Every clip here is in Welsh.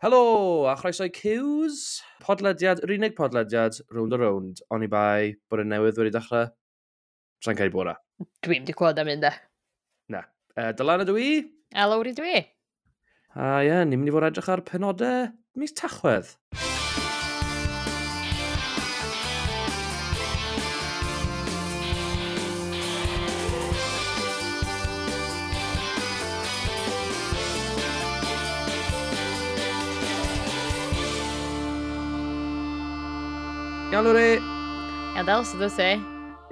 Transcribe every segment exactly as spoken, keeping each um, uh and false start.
Helo, a chroeso i Cews. Podlediad, yr unig podlediad, Rownd a Rownd, oni bai bod y newydd wedi dechrau. Sa'n cael bod. Dwi'n di clywed am un de. Na. E, Dylan ydw i. A Lowri dwi. A ie, ni'n mynd i fod edrych ar penodau mis Tachwedd. Iawn, Lowri? Iawn, Del, sut wyt ti?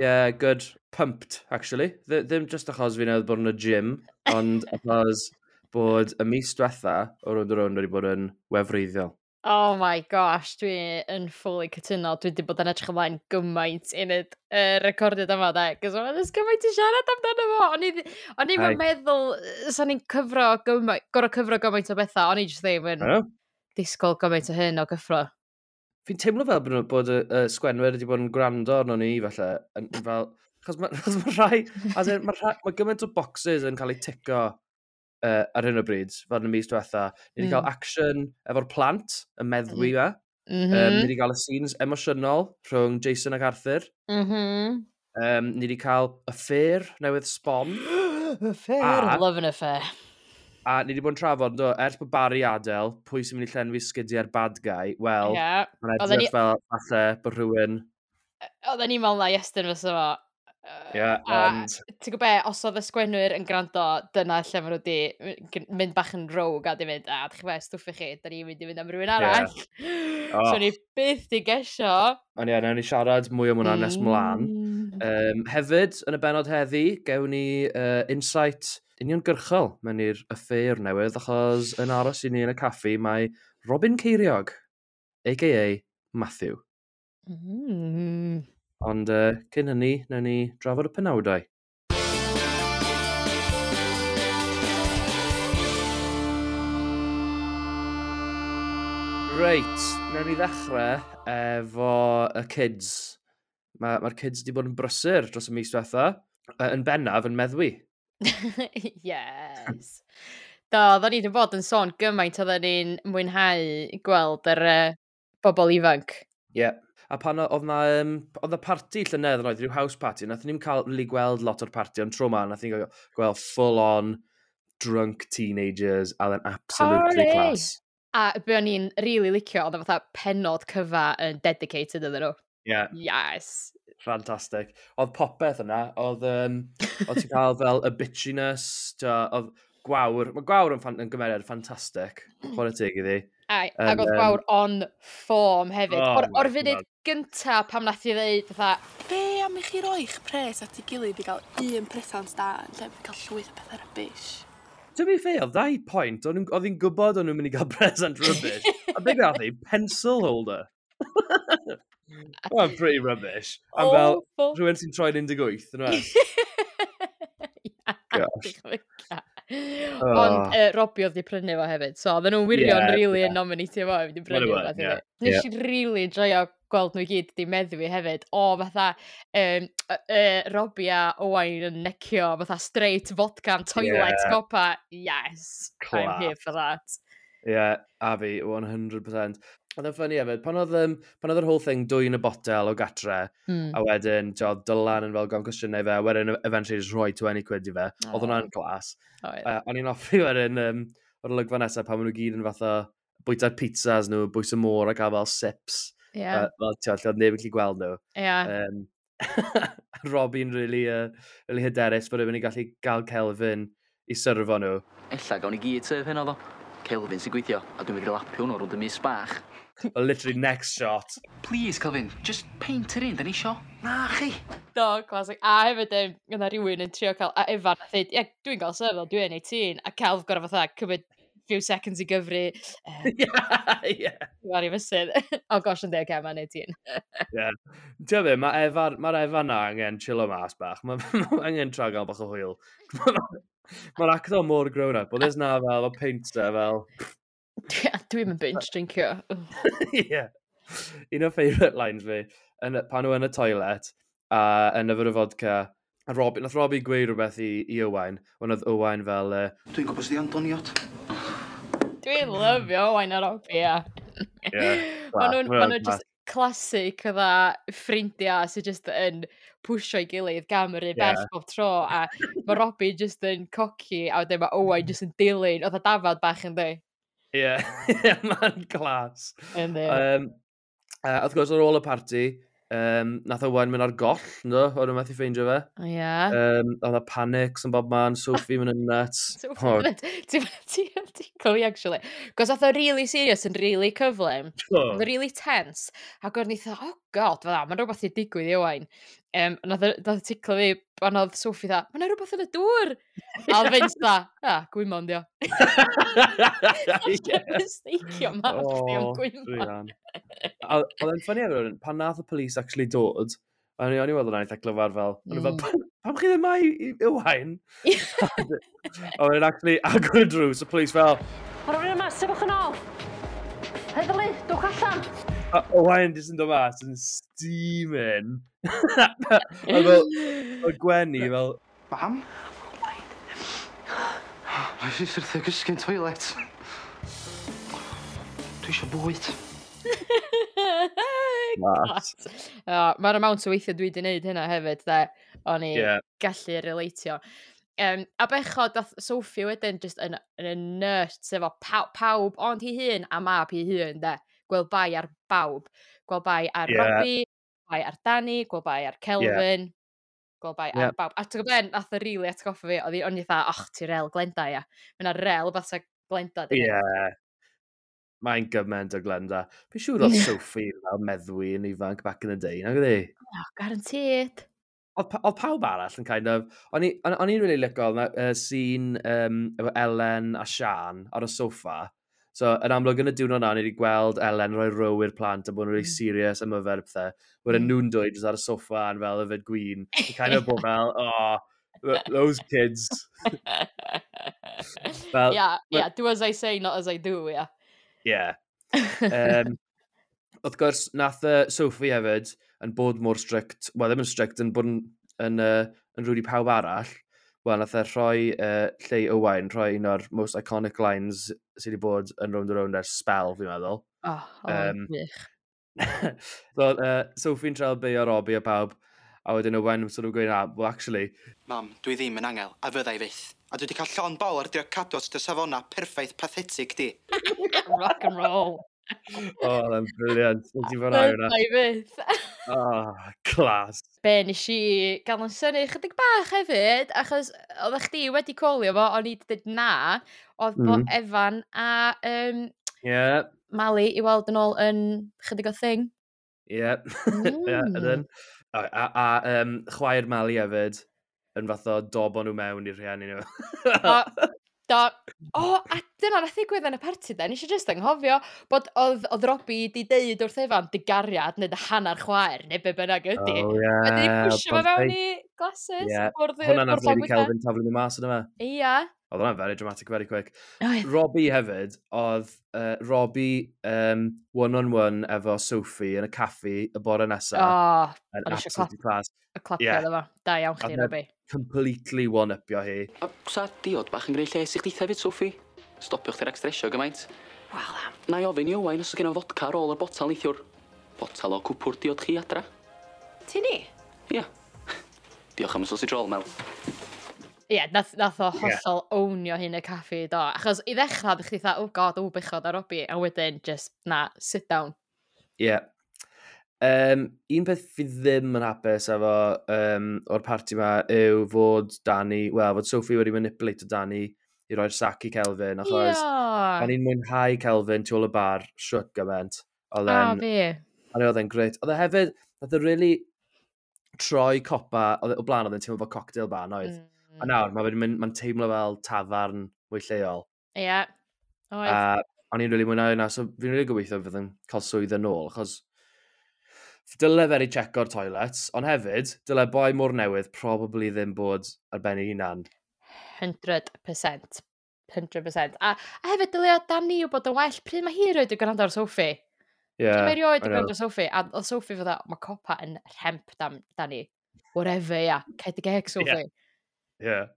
Yeah, good. Pumped, actually. Dd ddim just achos fi newydd bod yn y gym, ond achos bod y mis diwetha o Rownd a Rownd wedi bod yn wefreiddiol. Oh my gosh, dwi yn fully cytuno. Dwi wedi bod yn edrych ymlaen gymaint i wneud y recordiad yma, de. Cos mae'n gymaint i siarad amdano fo. O'n i o'n i'm yn meddwl, sa'n ni'n cyfro gymaint, gorau cyfro gymaint o bethau. O'n i jyst ddim yn disgwyl gymaint o hyn o gyffro. Fi'n teimlo fel bod, bod y, y sgwenwyr wedi bod yn gwrando arno ni, falle, yn, yn fel, achos mae ma rhai, as in, mae rhai, ma gymaint o boxes yn cael eu tico uh, ar hyn o bryd, fel yn y mis diwetha. Ni wedi mm. cael action efo'r plant, y meddwi mm. fe. Mm -hmm. um, ni wedi cael y scenes emosiynol rhwng Jason ac Arthur. Mm -hmm. um, ni wedi cael affair newydd sbon. Affair, a, love an affair. A ni wedi bod yn trafod, do, ers bod Barry adael, pwy sy'n mynd i llenwi sgidiau'r bad guy? Wel, yeah. mae'n edrych ni... fel falle bod rhywun... Oedden ni'n meddwl na Iestyn fysa fo. Ie, yeah, ond... Ti'n gwybod be, os oedd y sgwennwyr yn gwrando, dyna lle maen nhw wedi mynd bach yn rogue a di mynd, a dych chi be, stwff i chi, da ni'n mynd i fynd am rhywun arall. Yeah. Oh. So ni byth di gesio. Ond ie, nawn ni siarad mwy am hwnna mm. nes mlaen. Um, hefyd, yn y benod heddi, gewn ni uh, insight uniongyrchol mewn i'r affair newydd, achos yn aros i ni yn y caffi mae Robin Ceiriog, a k a. Matthew. Mm. Ond uh, cyn hynny, nawn ni drafod y penawdau. Reit, nawn ni ddechrau efo y kids. Mae'r ma kids wedi bod yn brysur dros y mis diwetha, yn bennaf yn meddwi. Yes. Do, oedden ni wedi bod yn sôn gymaint oedden ni'n mwynhau gweld yr uh, bobl ifanc. Ie. Yeah. A pan oedd na, um, oedd na parti llynedd yn oedd, rhyw house party, nath ni'n cael really gweld lot o'r party, ond tro ma, nath ni'n gweld full on drunk teenagers, a then absolutely Party! Class. A be o'n i'n really licio, oedd o fatha penod cyfa yn dedicated iddyn nhw. Yeah. Yes. Fantastic. Oedd popeth yna, oedd, um, oedd ti'n cael fel y bitchiness, oedd Gwawr, mae Gwawr yn, fan, yn gymeriad ffantastig, chwarae teg iddi. Ai, ac oedd Gwawr on form hefyd. Oh o'r, or my funud God. gynta pam nath i ddeud, fatha, Be am i chi roi'ch pres at ei gilydd i gael un presant da yn lle cael llwyth o bethau rubbish? To be fair, oedd ddau point, o'n nhw'n- oedd hi'n gwybod o'n nhw'n mynd i gael present rubbish. A be gath hi? Pencil holder. Well, pretty rubbish. Am fel awful. rhywun sy'n troi'n un deg wyth, yn we? Gosh. Ond uh, Robbie oedd di prynu fo hefyd, so oedden nhw'n wirion Ie, really ie. yn nominatio fo i prynu Maen nhw fo. yn, ie. Nes i really enjoyo gweld nhw i gyd di meddwi hefyd. O, fatha um, uh, uh, Robbie a Owain yn necio, fatha straight vodka am toilet Ie. copa. Yes, I'm here Class. for that. Ie, yeah, a fi, one hundred percent. Oedd e'n funny hefyd, pan oedd, um, pan oedd yr whole thing dwyn y botel o gatre, Mm. a wedyn, oedd Dylan yn fel gofyn cwestiynau fe, a wedyn eventually just rhoi twenty quid i fe. Oedd hwnna'n class. Oedd. Uh, o'n i'n hoffi wedyn, um, o'r olygfa nesaf pan maen nhw gyd yn fatha bwyta'r pizzas nhw, bwys y môr a cael fel sips. Ie, Uh, fel, ti'n lle oedd neb yn gallu gweld nhw. ie. Um, Robbie'n really, uh, really hyderus bod e'n mynd i gallu gael Kelvin i syrfo nhw. Ella gawn ni gyd serve heno ddo. Kelvin sy'n gweithio, a dwi'n mynd i lapio hwnnw rownd y mis bach. Well, literally next shot. Please, Kelvin, just peint yr un, da ni isio. Na chi. Do, classic. A hefyd, um, yna rhywun yn trio cael, a Efan nath ddeud, "Ie, dwi'n gael serve, dwi'n eighteen" a Kelv gorau fatha cymryd few seconds i gyfri, uh, yeah, yeah. ar ei fysydd. Oh gosh, yn deg, mae'n eighteen. Yeah. Ti'n be, mae Efan, mae'r Efan na angen chillo mas bach. Mae ma angen tra gael bach o hwyl. Mae'r actor mor grown up, ond there's na fel, o peint e fel. Dwi'n mynd binge drinkio. Yeah. Un o favourite lines fi, yn, y- pan nhw yn y toilet, a yn yfed y vodka, a Robbie, nath Robbie gweud rhywbeth i, i Owain, ond oedd Owain fel, uh, Dwi'n gwybod sydd yn doniot. Dwi'n lyfio Owain a Robbie, ia. Yeah. Ma' nhw'n ma nhw just classic fatha ffrindiau sydd just yn pwsio ei gilydd gam yr un bell Ie. bob tro, a mae Robbie just yn cocky a wedyn mae Owain just yn dilyn oedd a dafad bach yn di. Ie, mae'n class. Yndi. Um, uh, wrth gwrs, ar ôl y parti, um, nath Owain mynd ar goll, ynddo? Oedd nhw methu ffeindio fe. Ie. Um, oedd y panics yn bob man, Sophie mynd yn nuts. So, Oh, ti'n ti'n tickle fi, actually. Cos oedd o really serious yn really cyflym. oh. Oedd o really tense. Ac o'n i fatha, "Oh God, fydda, mae'n rhywbeth i digwydd i Owain." Um, nath o nath o tickle fi pan oedd Sophie dda, "Mae'n rhywbeth yn y dŵr." A oedd Vince dda, "Ah, gwymon dio." Ie. Mistake-io mab chdi am Oh, gwymon. druan. A oedd e'n funny efo hwn, pan nath y police actually dod, o'n i o'n i weld hwnna'n eitha glyfar fel, o'n i fel, Mm. "Pam pam chi ddim mai i Owain?" A wedyn actually agor y drws, y police fel, Mae rhywun yma, sefwch yn ôl. Heddlu, dwch allan. A Owain jyst yn dod mas yn steaming. A fel, oedd Gwenny fel, Mam? Nes i syrthio gysgu'n toilet. Dwi eisiau bwyd. Class. Mae'r amount o weithiau dwi wedi gwneud hynna hefyd, de. O'n i Ie. gallu relatio. Um, a bechod, dath Sophie wedyn just yn, yn y nuts efo paw, pawb ond hi hun a mab hi hun, de. Gweld bai ar bawb. Gweld bai ar Ie. Robbie, gweld bai ar Danny, gweld bai ar Kelvin, gweld bai ar Ie. bawb. A ti'n gwybod be, nath o rili atgoffa fi, oedd hi, o'n i fatha, "Och, ti rel Glenda, ia." Mae'n rel fatha Glenda, di Ie. Mae'n gymaint o Glenda. Fi'n siŵr oedd Sophie fel meddwi yn ifanc back in the day, nag oedd hi? Oh, guaranteed. Oedd pa- oedd pawb arall yn kind of... O'n i- o'n o'n i'n really licio uh, scene um, efo Ellen a Sian ar y soffa. So, yn amlwg yn y diwrnod na, ni wedi gweld Ellen rhoi row i'r plant a bod yn really Mm. serious am yfed a pethau. Wedyn Mm. nhw'n dweud jyst ar y soffa yn fel yfed gwin. Yn kind of bod fel, "Oh, th- those kids." Fel, yeah, ma- yeah, do as I say, not as I do, yeah. Yeah. Um, wrth gwrs, nath uh, Sophie hefyd yn bod mor strict, wel ddim yn strict, yn bod yn, yn, uh, yn rude i pawb arall. Wel, nath e rhoi uh, lle i Owain, rhoi un o'r most iconic lines sydd wedi bod yn Rownd a Rownd ers spell, fi'n meddwl. Oh, oh, Yym, wych. So, uh, Sophie'n trial beio Robbie a pawb, a wedyn Owain sort of gweud, "Ah, well, actually," Mam, dwi ddim yn angel, a fydda i fyth. A dwi wedi cael llond bol ar drio cadw at dy safona perffaith pathetic di. Rock and roll. Oh, that's brilliant. Nes i fwynhau hwnna. Fydda i fyth. Oh, class. Be nes i gael yn synnu chydig bach hefyd, achos oeddech chdi wedi colio fo, o'n i wedi dweud na, oedd mm. bod Mm. Efan a um, Yeah, Mali i weld yn ôl yn chydig o thing. yeah. Yeah, Mm. ydyn. A, a, a um, chwaer Mali hefyd yn fath o dobo nhw mewn i'r rhieni nhw. Do, do. O, a dyna nath ddigwydd yn y parti de, nes i jyst anghofio bod oedd, oedd Robbie di deud wrth Efan dy gariad neu dy hanner chwaer neu be bynnag ydi. Oh, yeah. A di pwysio fo fewn i glasses. Ie, Bwrdd Hwnna nath bwrdd llawn Lady bwyta. Kelvin taflu nhw mas yna fe. Ia. Oedd hwnna'n very dramatic, very quick. Oedd. Robbie hefyd, oedd uh, Robbie um, one-on-one efo Sophie yn y caffi y bore nesa. O, yn o'n i isio absolutely class. y clapio Ie. iddo fo. Da iawn chdi, Oedd e- Robbie. Completely one-upio hi. A sa diod bach yn gwneud lles i chdi hefyd, Sophie? Stopio chdi rhag stresio gymaint. Wel, am. Na i ofyn i Owain os oes gen o fodca ar ôl y botal neithiwr. Botal o cwpwr diod chi adra. Ti ni? Ia. Diolch am y sausage roll, Mel. Ie, nath, nath o Ie. hollol ownio hyn y caffi, do. Achos i ddechrau, ddech chi fatha, "Oh God, oh bechod ar Robbie." A wedyn, just, na, sit down. Ie. Yeah. Um, un peth fi ddim yn hapus efo um, o'r parti yma yw fod Danny, wel, fod Sophie wedi manipulate Danny i roi'r sac i Kelvin, achos Ie. o'n i'n mwynhau Kelvin tu ôl y bar shwt gymaint. Oedd A e'n fi. a oedd e'n grêt. Oedd e hefyd, nath e really troi copa, oedd e- o blaen oedd e'n teimlo fel cocktail bar, oedd. Mm. A nawr, mae'n mynd, mae'n teimlo fel tafarn mwy lleol. Ie. Oedd. A o'n i'n rili mwynhau hynna, so fi'n rili gobeithio fydd yn cael swydd yn ôl, achos dyle fe 'di checo'r toilets, ond hefyd, dyle boi mor newydd probably ddim bod ar ben ei hunan. one hundred percent. one hundred percent. A, a hefyd, dylia Dani wybod yn well pryd mae hi erioed 'di gwrando ar Sophie. Yeah, Pryd mae erioed I 'di know. gwrando ar Sophie. A oedd Sophie fatha, "Mae copa yn rhemp dan, Dani. Whatever, ia. Cau dy geg, Sophie." Yeah.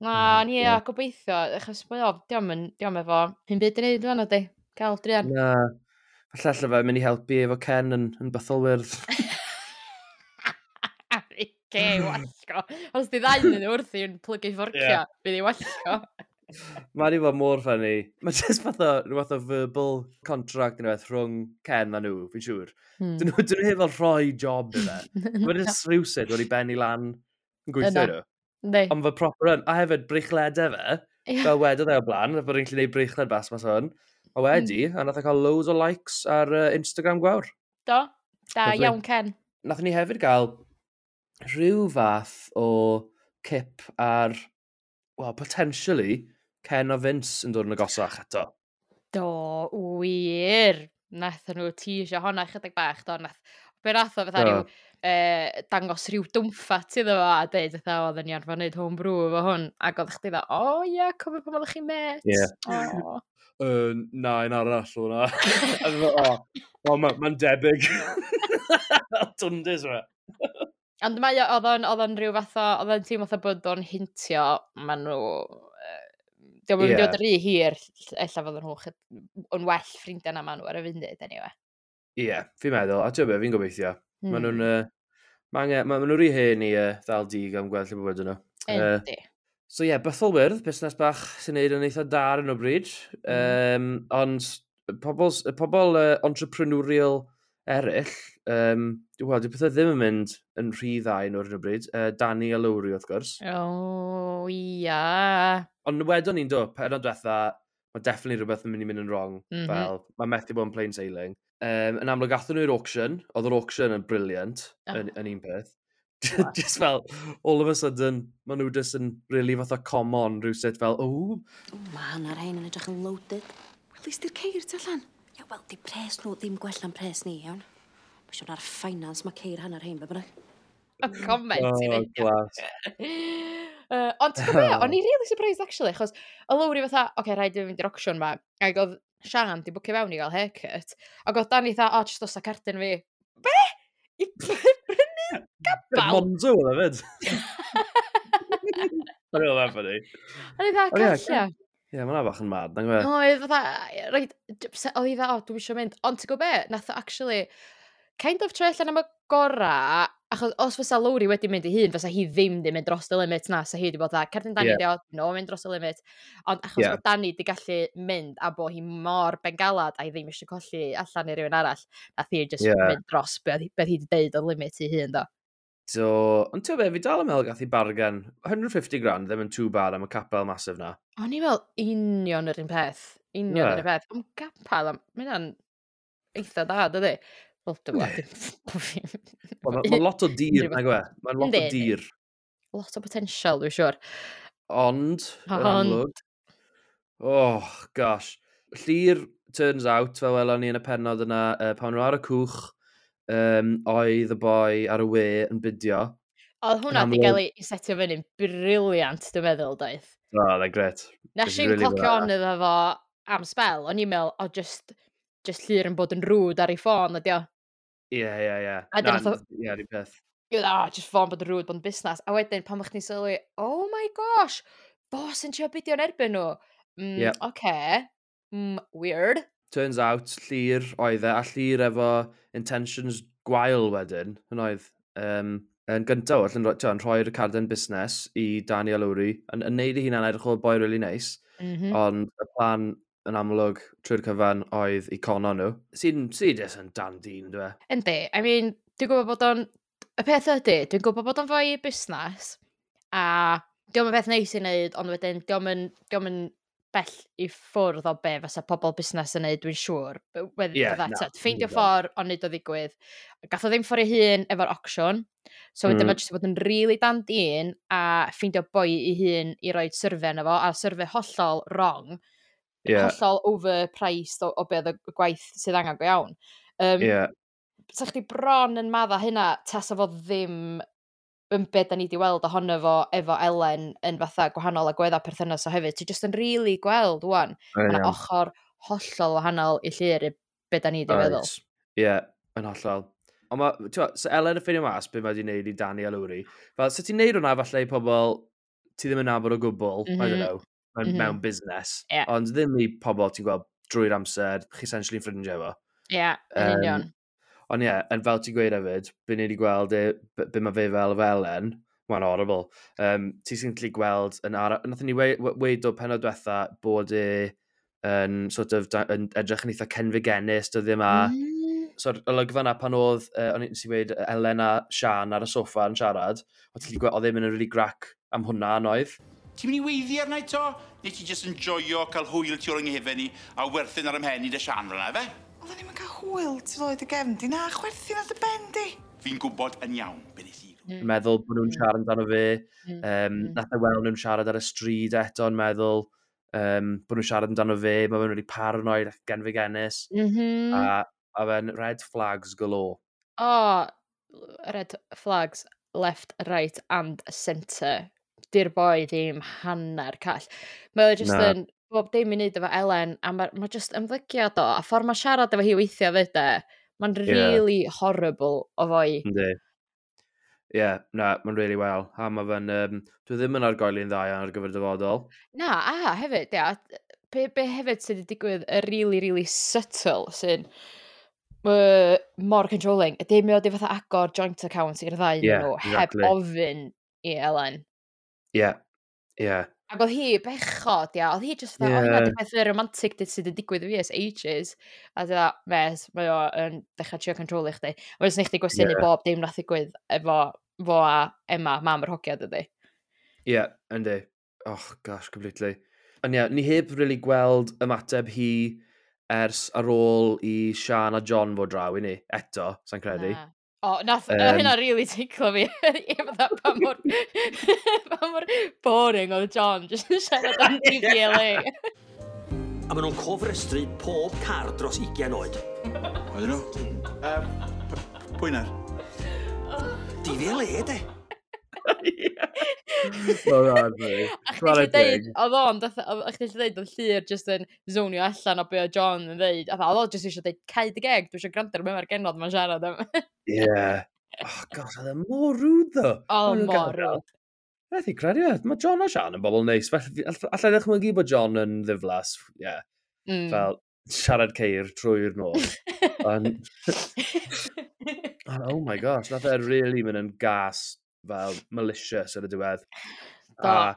Na, ni yeah. Gobeithio, achos mae o, diolch yn, diolch efo hyn byd i wneud fan ydi, cael druan. Na, falle alla fe mynd i helpu efo Ken yn, yn bytholwyrdd. Ge, wallgo. Os di ddau yn wrthi yn plygu fforcia, yeah. Fydd i wallgo. Mae di fod mor funny. Mae just fath o, rhyw fath o verbal contract neu beth rhwng Ken a nhw, fi'n siŵr. Hmm. Dyn nhw, dyn nhw heb fel rhoi job i fe. Mae'n just rhywsut wedi benni lan yn gweithio nhw. Yndi. Ond fe proper yn. A hefyd breichledau fe, yeah. Fel wedodd e o blaen, bod ni'n gallu gwneud breichled bas mas hwn. A wedi, mm. a nath e cael loads o likes ar uh, Instagram Gwawr. Do, da Lovely. Iawn Ken. Nathon ni hefyd gael rhyw fath o cip ar, well, potentially, Ken a Vince yn dod yn agosach eto. Do, wir. Nathon nhw teasio honna chydig bach, do. Nath, be nath o fatha rhyw eh, dangos rhyw dwmffat iddo fo a deud fatha oedden ni arfer wneud homebrew efo hwn. Ac oedd chdi dda, o oh, ie, yeah, cofio pan oeddech chi'n met. Ie. Oh. Uh, na, un arall o'na. A fe, o, o, mae'n ma debyg. Dwndys fe. Ond mae o, oedd o'n, oedd o'n rhyw fath o, oedd o'n teimlo fatha bod o'n hintio, maen nhw, uh, diolch yn mynd i fod yn rhy hir, ella fod nhw yn well ffrindiau na maen nhw ar y funud, anyway. Ie, yeah, fi'n meddwl, a ti'n be, fi'n gobeithio. Mm. Maen nhw'n, uh, ma angen, ma, ma nhw rhy hen i uh, ddal dig am gweld lle bywyd nhw. Yndi. Uh, so ie, yeah, Bytholwyrdd, busnes bach sy'n neud yn eitha da ar hyn o bryd. Mm. Um, ond pobl, pobl uh, entrepreneurial eraill, um, wel, di pethau ddim yn mynd yn rhy dda i nhw ar hyn o bryd. Uh, Danny a Lowry, wrth gwrs. O, oh, ia. Ond wedon ni'n do, pennod diwetha, mae definitely rhywbeth yn mynd i mynd yn wrong. Mm -hmm. Fel, mae methu bod yn plain sailing. Um, yn amlwg, athyn nhw i'r auction. Oedd yr auction yn brilliant, oh. yn, yn un peth. Just fel, all of a sudden, maen nhw just yn really fatha common rhywsut fel, oh. Mae hanner rhain yn edrych yn loaded. Wel, di'r ceir tu allan? Ia, wel, di pres nhw ddim gwell na'n pres ni, iawn. Mae siwr ar finance mae ceir hanner rhain, be bynnag. Y comment oh, i neud. Glas. Uh, ond ti'n gwybod be, o'n i really surprised actually, achos o Lowry fatha, oce, okay, rhaid i fi fynd i'r auction ma, ac oedd Sian di bwcio fewn i gael haircut, ac oedd Danny fatha, o, oh, just dos a cardyn fi. Be? I brynu gabal? Monzo oedd e fyd. O'n i'n meddwl funny. O'n i fatha, callia. Ie, mae hwnna bach yn mad, na'n gwybod? Oedd fatha, reit, oedd i fatha, o, dwi'n eisiau mynd. Ond ti'n gwybod be, nath o actually, kind of troi allan am y gora, achos os fysa Lowry wedi mynd i hun, fysa hi ddim di mynd dros y limit na, sa hi wedi bod dda, cerdyn Danny yeah. Di o, no, mynd dros y limit. Ond achos yeah. bod Danny di gallu mynd a bod hi mor bengalad a hi ddim eisiau colli allan i rywun arall, nath hi just yeah. mynd dros beth be hi wedi deud o limit i hun, do. So, ond ti'n be, fi dal yn meddwl gath i bargain, one hundred fifty grand ddim yn too bad am y capel massive na. O'n i'n meddwl union yr un peth. Union yeah. yr un peth. Am gapel, mae hynna'n eitha da, dydy? Wel, dwi'n gwybod. Mae'n ma lot o dir, nag yw e? Mae'n lot o dir. Lot o potential, dwi'n siŵr. Ond, yn amlwg. Oh, gosh. Llyr, turns out, fel welon ni yn y pennod yna, uh, pan nhw ar y cwch, um, oedd y boi ar y we yn bidio. Oedd hwnna wedi cael ei setio fyny'n brilliant, dwi'n meddwl, doedd. Oh, they're great. Nes i'n really clocio on iddo fo am spel, o'n i'n meddwl, o, just, just Llyr yn bod yn rude ar ei ffôn, ydi o. Ie, ie, ie. A dyn Ie, rhyw peth. O, just ffôn bod yn rude, bod yn busnes. A wedyn, pan o'ch chdi'n sylwi, oh my gosh, fo sy'n trio bidio'n erbyn nhw. Mm, yeah. Okay. Mm, weird. Turns out, Llyr oedd e, a Llyr efo intentions gwael wedyn, yn oedd. Um, yn gyntaf oll, yn, yn rhoi'r carden busnes i Danny a Lowry, yn, yn neud ei hunan edrych o boi really nice, mm -hmm. ond y plan yn amlwg trwy'r cyfan oedd i cono nhw. Sy'n sy jyst yn dan dyn, dwi e? Yndi, I mean, dwi'n gwybod bod o'n... Y peth ydy, dwi'n gwybod bod o'n fwy busnes, a diolch yn beth neis i wneud, ond wedyn diolch yn, diolch yn bell i ffwrdd o be fysa pobl busnes yn neud, dwi'n siŵr. Yeah, na, ffeindio ffordd ond neud o ddigwydd. Gath o ddim ffordd ei hun efo'r auction, so wedyn mm. mae jyst bod yn really dan dyn a ffeindio boi ei hun i roi survey yna fo, a survey hollol wrong, yeah. hollol overpriced o, o be oedd y gwaith sydd angen go iawn. Um, yeah. Sa chdi bron yn madda hynna, tasa fo ddim yn be da ni wedi weld ohono fo efo Elen yn fatha gwahanol agweddau perthynas o hefyd. Ti jyst yn really gweld wan. Oh, Mae yna ochr hollol wahanol i Llyr i be da ni wedi feddwl. Ie, yeah, yn hollol. Ond ma, ti'n so Elen yn ffeindio mas be mae wedi wneud i Danny a Lowry. Fel, sut ti'n neud hwnna falle i pobl, ti ddim yn nabod o gwbl, mm -hmm. I don't know, mewn, mm -hmm. mewn busnes. Yeah. Ond ddim i pobl ti'n gweld drwy'r amser, chi essentially yn ffrindiau efo. Ie, yeah, yn um, union. Ond ie, yeah, yn fel ti'n gweud hefyd, be ni wedi gweld e, be, be mae fe fel fel en, mae'n horrible. Um, ti sy'n gallu gweld yn ara... Nathon ni weud o penod diwetha bod e yn sort of, yn edrych yn eitha cenfigennus dyddiau yma. Mm. So'r olygfa yna pan oedd, uh, o'n i'n si weud, Elen a Sian ar y soffa yn siarad, oedd ti'n gweld, oedd e'n mynd yn really grac am hwnna yn oedd. Ti'n mynd i weiddi arna i to? Neu ti jyst yn joio cael hwyl tu ôl yng nghefen ni a werthyn ar ymhen i dy Sian fel yna, fe? Oedden ni'n cael hwyl tu ôl i dy gefn di, na, chwerthin ar dy ben di. Fi'n gwybod yn iawn be nes i. Mm. Meddwl bod nhw'n siarad amdano fe. Mm. Um, nath e weld nhw'n siarad ar y stryd eto yn meddwl um, bod nhw'n siarad amdano fe, mae fe'n really paranoid ac genfigennus. Mm -hmm. A, a fe'n red flags galore. Oh, red flags left, right and centre. Di'r boi ddim hanner call. Mae o just Na. yn bob dim i wneud efo Elen, a mae ma just ymddygiad o, a ffordd mae siarad efo hi weithio fyd e, mae'n really yeah. horrible o foi. Yndi. Ie, yeah, na, mae'n really well. A mae fe'n, um, dwi ddim yn argoeli'n dda iawn ar gyfer dyfodol. Na, a hefyd, ia, be, be hefyd sydd wedi digwydd y really, really subtle sy'n uh, mor controlling, ydy mae o wedi fatha agor joint account i'r ddau yeah, nhw, exactly. heb ofyn i Elen. Ie, yeah, ie. Yeah. Ac oedd hi bechod, ia, oedd hi just fatha, yeah. O, hynna di peth romantic sydd wedi digwydd i fi ers ages. A dda, mes, mae o yn dechrau trio controlio chdi. A mae'n chdi gwestiynu Yeah. bob dim nath ddigwydd efo fo a Emma, mam yr hogia, dydy. Ie, yeah, yndi. Oh, gosh, completely. Ond ie, yeah, ni heb really gweld ymateb hi ers ar ôl i Sian a John fod draw i ni, eto, sa'n credu. Na. O, nath, um, Yym. hynna really ticlo fi. Ie, fatha, pa mor, pa mor boring oedd John, just yn siarad am D V L A. A maen nhw'n cofrestru pob car dros ugain oed. Oedden nhw? Um, pwy na'r? D V L A, de. Well, that's funny. A chdi Chwarae gallu deud, teg. oedd o'n, fatha- oedd- a chdi gallu deud, oedd Llyr just yn zonio allan o be oedd John yn ddeud. A fatha, oedd o just eisiau deud, "Cau dy geg, dwi eisiau gwrando ar be mae'r genod ma'n siarad am." Yeah. Oh, gosh, oedd e mor rude, though. O, Maen nhw'n mor gael- rude. Methu credu e. Mae John a Sian yn bobl neis. Felly, allai ddechmygu bod John yn ddiflas. Yeah. Mm. Fel siarad ceir trwy'r nos. Ond, oh my gosh, nath e really mynd yn gas fel malicious ar y diwedd. Do. A,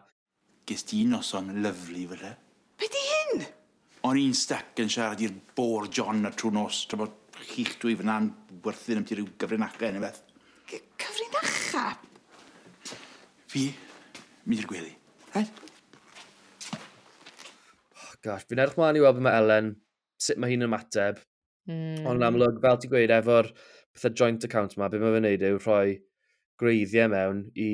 Ges ti noson lyfli fel e? Be di hyn? O'n i'n stuck yn siarad i'r bore John a trwy nos, tra bod chi'ch dwy fyna'n werthu'n am ti ryw gyfrinachau neu beth. C- Cyfrinacha? Fi, mynd i'r gwely. Right? Oh gosh, fi'n edrych mlaen i weld beth mae Elen, sut mae hi'n ymateb. Mm. Ond yn amlwg, fel ti'n gweud, efo'r pethau joint account ma, be mae fe'n neud yw rhoi gwreiddiau mewn i,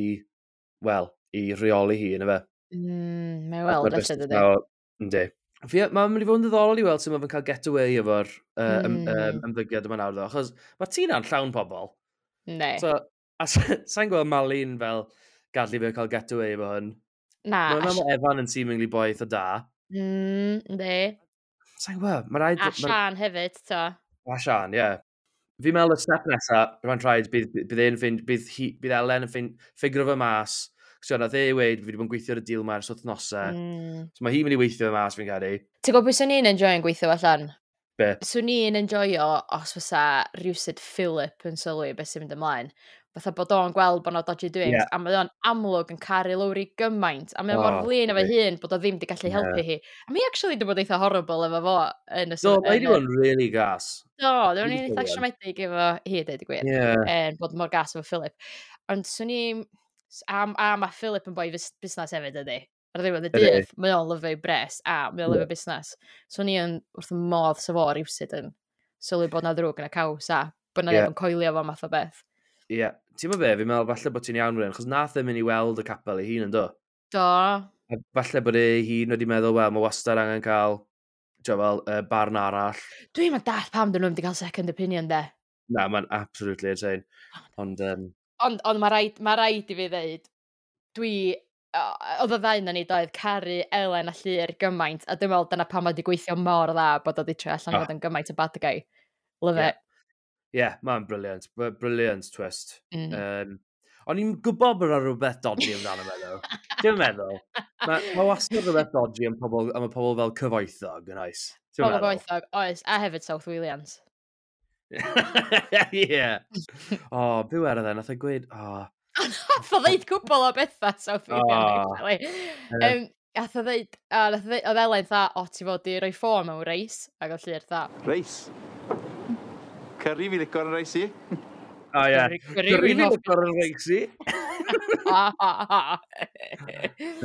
wel, i reoli hi, yna fe. Mm, mae Ac weld, ma'r felly, busnes dydy. 'ma o- Yndi. Fi, mae'n mynd i fod yn ddiddorol i weld sut mae fe'n cael get away efo'r uh, ym, Mm. um, ymddygiad yma nawr, ddo, achos mae Tina'n llawn pobl. Ne. So, a sa- sa'n gweld Malin fel gadlu fe cael get away efo hwn. Na. Mae'n a meddwl Evan yn seemingly boi eitha da. Mm, yndi. Sa'n gweld, mae rhaid A ma' Sian hefyd, to. A Sian, ie. Yeah. Fi'n meddwl y step nesa, mae'n rhaid, bydd, bydd, e'n ffind, bydd, hi, bydd Elen yn ffind, ffigro fe mas. So, nath e weud, fi wedi bod yn gweithio ar y deal ma ers wythnosau. Mm. So mae hi'n mynd i weithio fe mas, fi'n credu. Ti'n gwybod beth swn i'n enjoyo'n gweithio allan? Be? Swn i'n enjoyo os fysa rhywsut Philip yn sylwi beth sy'n mynd ymlaen. Fatha bod o'n gweld bod 'na dodgy doings, Ie. a mae o'n amlwg yn caru Lowri gymaint, a mae o'n mor O, flin efo yndi. hun bod o ddim wedi gallu Ie. helpu hi. A mi actually wedi bod eitha horrible efo fo yn y Do, mae yn wedi y- bod yn really gas. Do, dwi'n Really eitha brilliant. siomedig efo hi, dweud y gwir. Ie. En, bod mor gas efo Philip. Ond swn i... A, a mae Philip yn boi fus- busnes hefyd, ydy. Ar ddiwedd y Ydi. dydd, mae o'n lyfio bres, a mae o'n Ie. lyfio busnes. Swn i yn wrth y modd sa fo rywsut yn sylwi bod na ddrwg yn y caws a bod na Ie. neb yn coelio fo math o beth. Ie. Yeah. Ti'n meddwl be, fi'n meddwl falle bod ti'n iawn fan hyn, achos nath e mynd i weld y capel ei hun yn do. Do. A falle bod ei hun wedi meddwl, wel, mae wastad angen cael, ti'n fel, uh, barn arall. Dwi'n mynd dall pam dyn nhw'n wedi cael second opinion, de. Na, mae'n absolutely insane. Ond, um, Ond, ond mae rhaid, ma rhaid i fi ddeud, dwi, o- oedd y ddau na ni doedd caru Elen a Llyr gymaint, a dwi'n meddwl dyna pam mae wedi gweithio mor dda bod o wedi troi allan i Ah. fod yn gymaint o bad guy. Love Ie. it. Yeah, mae'n brilliant. Brilliant twist. Mm. Um, O'n i'n gwybod bod yna rhywbeth dodgy amdano fe, ddo. Ti'n meddwl? Mae ma wastad rhywbeth dodgy am, pobl, am y pobl fel cyfoethog, yn oes. Pobl cyfoethog, oes. A hefyd South Walians. Ie. O, be werodd e? Nath e gweud, o... Nath o ddeud cwbl o bethau South Walian, actually. Um, Nath o ddeud, a nath o ddeud, oedd Elen tha, o, ti fod i roi ffôn mewn reis, ac oedd Llyr tha. Reis? Curry fi licor yn reis i. O ie. Curry fi licor yn reis i.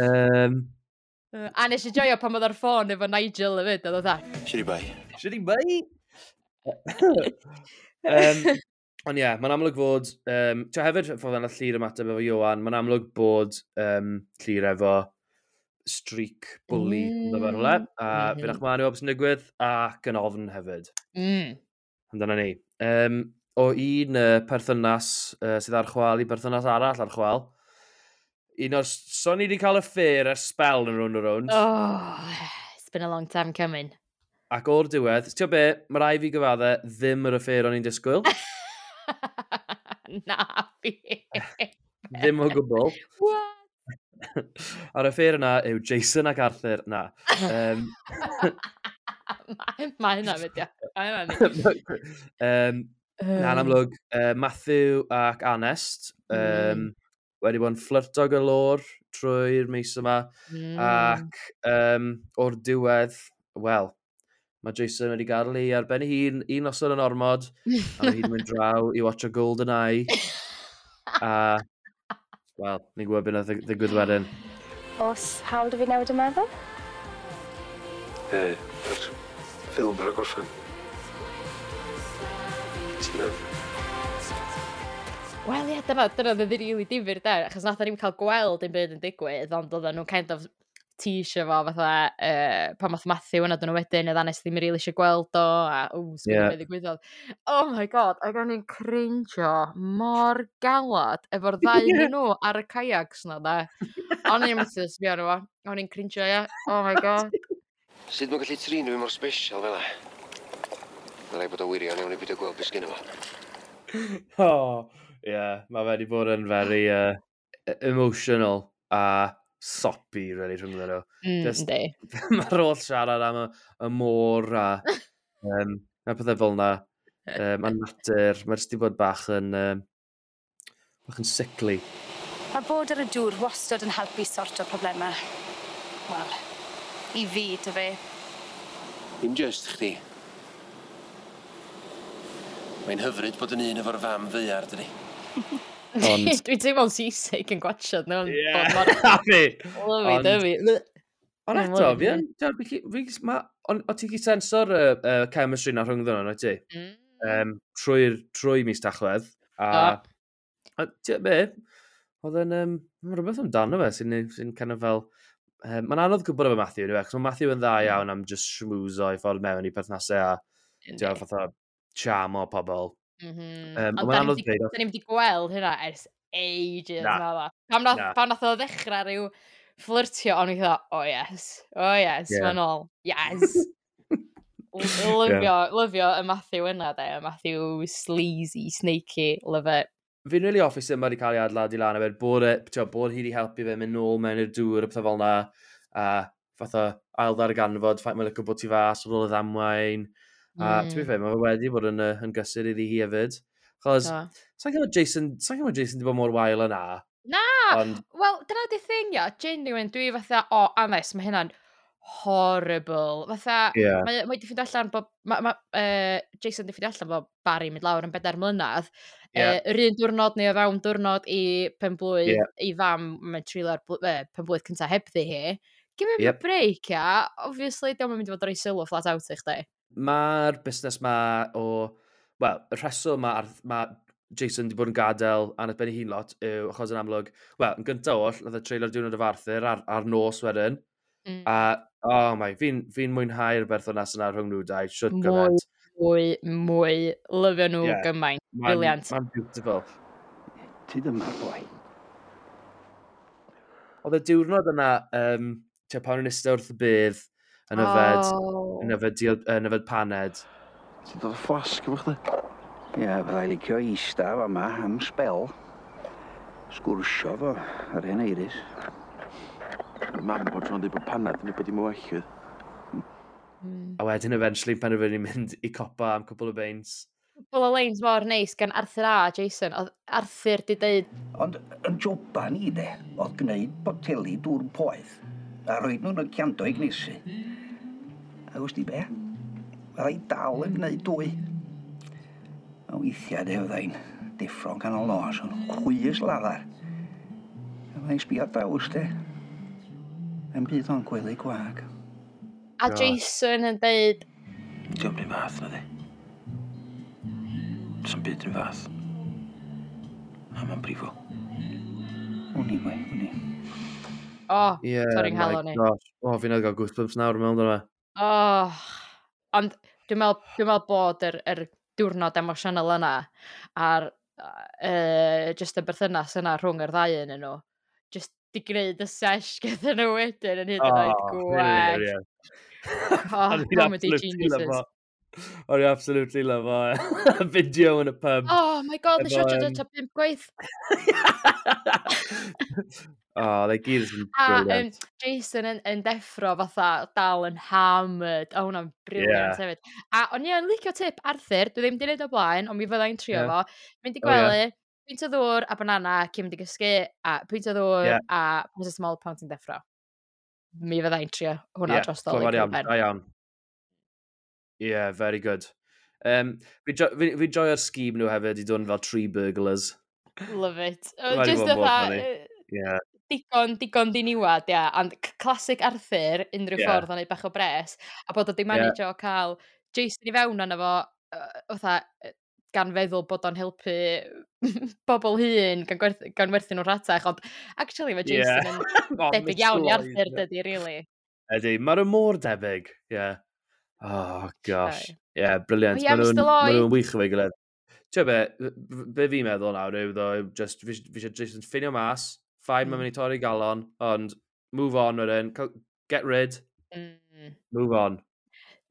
um, A nes i joio pan oedd ar ffôn efo Nigel hefyd, oedd o dda. Shitty bai. Shitty bai. um, ond ie, yeah, mae'n amlwg fod... Um, Tio hefyd, ffordd yna Llyr ymateb efo Ioan, mae'n amlwg bod um, Llyr efo streak bully mm. yn rhywle. A mm -hmm. Fi'n achmanu o beth sy'n digwydd, ac yn ofn hefyd. Mm. Ond dyna ni. Um, o un uh, perthynas uh, sydd ar chwal i berthynas arall ar chwal. Un o'r... So ni wedi cael y ffair ers spel yn Rownd a Rownd. Oh, it's been a long time coming. Ac o'r diwedd, ti'n be, mae rai fi gyfadde ddim yr affair o'n i'n disgwyl. Na fi. Ddim o gwbl. What? A'r affair yna yw Jason ac Arthur. Na. Um, Mae hynna fyd, ia. Mae hynna um, Na'n amlwg, uh, Matthew ac Anest um, mm. wedi bod yn fflyrto galore trwy'r mis yma. Mm. Ac um, o'r diwedd, wel, mae Jason wedi gadael hi ar ben ei hun, un noson yn ormod, a mae hi'n mynd draw i watch a Golden Eye. A, wel, ni'n gwybod beth nath ddigwydd wedyn. Os hawl dy fi newid y meddwl? E, yr ffilm ar y gorffen. Ti'n meddwl? Wel ie, dyna, dyna oedd yn rili difyr de, achos nath ni'n cael gweld dim byd yn digwydd, ond oedden nhw'n kind of teasio fo fatha, uh, pan math Matthew yna dyn nhw wedyn, oedd Anes ddim rili eisiau gweld o, a ww, sgwyd yeah. beth ddigwyddodd. Oh my god, ac o'n i'n cringio mor galad efo'r ddau yeah. nhw ar y kayaks na, da. O'n i'n methu sbio arno fo, o'n i'n cringio, ie. Oh my god. Sut mae'n gallu trin fi mor special fel 'a? Mae rhaid bod o wirion iawn i beidio gweld beth sgynno fo. Oh, yeah, mae fe wedi bod yn very uh, emotional a soppy, really, rhwng nhw. Mm, Just, yndi. Mae'r holl siarad am y, y môr a um, a pethau fel yna. Um, a natur, mae jyst wedi bod bach yn, um, bach yn sickly. Mae bod ar y dŵr wastad yn helpu sorto problemau. Wel, i fi, dy fe. Dim just chdi. Mae'n hyfryd bod yn un efo'r fam ddaear, dydi. Ond... Dwi'n teimlo'n seasick yn gwatchad. No, Yeah, a fi. Lovey Ond- dovey. Ond eto, fi yn... fi- fi- ma- Ond o ti'n gallu senso'r uh, uh, chemistry na rhwng nhw, wyt ti? Mm. Um, trwy'r trwy mis Tachwedd. A, a ti'n be, oedd yn... Um, mae rhywbeth amdano fe sy'n sy kind of fel... Um, mae'n anodd gwybod efo Matthew, yw e? Achos mae Matthew yn dda iawn am just schmoozo i ffordd mewn i perthnasau a ti'n gwbod, fatha charm o pobl. Mm -hmm. Um, Ond ond mae'n da ni'm anodd 'di- dweud. da ni'm 'di gweld hynna ers ages. Na. Na. Na. Pam nath, Na. pam nath o ddechrau rhyw fflyrtio, o'n i'n fatha, oh yes, oh yes, Yeah. yeah. mae'n ôl, yes. Lyfio, lyfio y Matthew yna, de, y Matthew sleazy, snaky, love it. Fi'n really hoffi sut mae wedi cael ei adeiladu lan hefyd, bod, e, t'wo, bod hi wedi helpu fe mynd nôl mewn i'r dŵr a pethau fel 'na, a fatha ail ddarganfod, ffaith mae'n licio bod tu fas ar ôl y ddamwain. A mm. to be fair, mae fe wedi bod yn, uh, yn gysur iddi hi hefyd. Chos, Do. sa'n gwybod Jason, sa'n gwybod Jason wedi bod mor wael yna. Na! Ond, Wel, dyna di thing, ia, genuine, dwi fatha, o, oh, Anes, mae hynna'n horrible. Fatha, Ie. mae mae 'di ffeindio allan bod, ma, ma, uh, Jason 'di ffeindio allan bod Barry mynd lawr yn bedair mlynedd. Ie. Uh, yr un diwrnod neu o fewn diwrnod i penblwydd Ie. ei fam, mae'n treulio'r bl- uh, penblwydd cyntaf hebddi hi. Give him Yep. a break, ia. Obviously, dio'm yn mynd i fod ar ei sylw flat out i chdi. Mae'r busnes ma o... Wel, y rheswm ma, ma Jason wedi bod yn gadael Anna ben ei hun lot yw achos yn amlwg... Wel, yn gyntaf oll, nath e treulio'r diwrnod efo Arthur ar, ar nos wedyn. Mm. A, oh my, fi'n fi mwynhau'r berthynas yna rhwng nhw dau, shwt Mwy, gymaint. mwy, mwy. Lyfio nhw Ie. gymaint. Ma'n- Brilliant. Ma'n beautiful. Ti dyma'r boi. Oedd y diwrnod yna, um, tua pan o'n eistedd wrth y bedd, yn yfed, Oh. yn yfed, diod, yn yfed paned. Ti'n dod o fflasg efo chdi? Ie, byddai licio eista fama am sbel. Sgwrsio fo yr hen Eiris. Mam bod tro'n dweud bod panad yn bod dim o well. Mm. A wedyn eventually penderfynu mynd i copa am cwpl o beints. Cwpl o leins mor neis gan Arthur a Jason. Oedd Arthur di deud... Ond yn joban i de, oedd gwneud boteli dŵr poeth a roed nhw'n y ciando i gnesu. A wst di be? Fydda i dal yn gwneud dwy. A weithiau de fydda i'n deffro'n canol nos, yn chwys laddar. A fydda i'n sbio draws de. Yn byd o'n gwely gwag. A Jason yn deud... Diolch yn fath na di. Sa'n byd yn fath. A mae'n brifo. Wn i, boi, wn i. O, oh, yeah, torri'n nghalon i. O, oh, fi'n gael goosebumps nawr mewn dyna. Oh, ond dwi'n meddwl, dwi'n meddwl bod yr, yr diwrnod emosiynol yna a'r uh, just y berthynas yna rhwng yr ddau yn nhw, just di gwneud y sesh gyda nhw wedyn yn hyd yn oed gwell. Oh, comedy geniuses. O'n i absolutely love o. Video yn y pub. Oh my god, nes i watch o pump gwaith. Oh, they gyd yn A um, brilliant. Jason yn, yn deffro fatha dal yn hammered. O, hwnna'n brilliant Yeah. hefyd. A o'n i yn licio tip Arthur, dwi ddim di wneud o blaen, ond mi fydda i'n trio Yeah. fo. Mynd i Oh, yeah. gwely, peint o ddŵr a banana cyn mynd i gysgu, a peint o ddŵr Yeah. a paracetamol pan ti'n deffro. Mi fydda i'n trio hwnna Yeah, dros Dolig. clyfar iawn, da iawn. Yeah, very good. Um, fi, jo fi, fi joio'r scheme nhw hefyd i dod yn fel tree burglars. Love it. Mae 'di Just bod mor fatha, funny. yy, Yeah. digon, digon diniwad, ia. And classic Arthur, unrhyw Yeah. ffordd o'n neud bach o bres, a bod o di manage o cael Jason i fewn arno fo, uh, fatha, yy, gan feddwl bod o'n helpu bobl hŷn, gan, gwerth, gan werthu nhw'n rhatach, ond actually mae Jason Yeah. yn Oh, debyg Mister iawn i Lloyd, Arthur, yeah. dydy, really. Ydy, maen nhw mor debyg. Yeah. Oh, gosh. Aye. Yeah, brilliant. O ie, Maen nhw'n Mister ma nhw'n Lloyd. wych efo'i gilydd. Ti'n be, be fi'n meddwl nawr yw, ddo, just, fi fi eisiau Jason ffinio mas, fine, mm. mae'n mynd i torri galon, ond move on wedyn, cael- get rid, Mm. move on.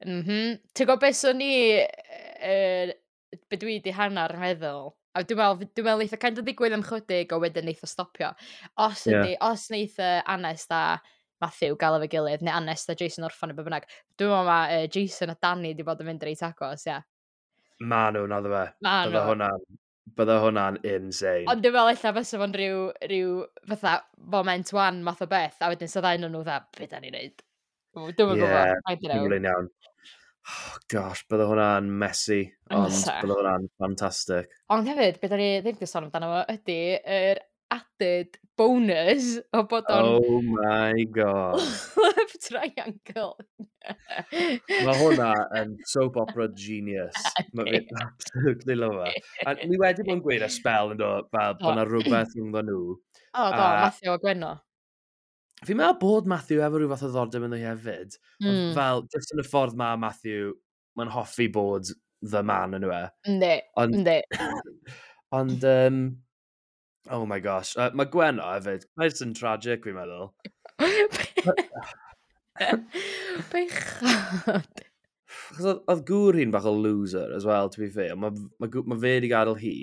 Mm -hmm. Ti'n gwybod beth swn i, uh, be dwi di hanner yn meddwl, a dwi'n meddwl, dwi'n meddwl eitha kind of ddigwydd am chydig o wedyn neith o stopio. Os Ie. ydi, os neith uh, Anest a Matthew gael efo'i gilydd, neu Anest a Jason orffan neu be bynnag, dwi'n meddwl mae uh, Jason a Danny di bod yn mynd reit agos, ia. Ma nhw, naddo fe. Ma Bydde nhw. hwnna'n, bydde hwnna'n insane. Ond dwi'n meddwl ella fysa fo'n rhyw, rhyw fatha moment one math o beth, a wedyn sa ddau nhw fatha, be da ni'n neud? Dwi'm yn gwybod, Ie, I don't know. Dwi'n iawn. Oh, gosh, bydde hwnna'n messy, ond Fysa. bydde hwnna'n fantastic. Ond hefyd, be da ni ddim wedi sôn amdano fo, ydy yr added bonus o bod o'n Oh my god. love triangle. Mae hwnna yn soap opera genius. Mae fi absolutely love it. A ni wedi bod yn gweud y spell yn do, fel bod yna rhywbeth rhwngddo nhw. O, do, A- Matthew a Gwenno. Fi'n meddwl bod Matthew efo rhyw fath o ddiddordeb ynddo hi hefyd. Ond Mm. fel, just yn y ffordd mae Matthew, mae'n hoffi bod the man yn yw e. Yndi, Ond, yndi. ond, um, oh my gosh. Uh, mae Gwenno hefyd, nice and tragic fi'n meddwl. Bechod. Achos oedd, oedd gŵr hi'n bach o loser as well, to be fair. Mae ma, gw- ma fe wedi gadael hi.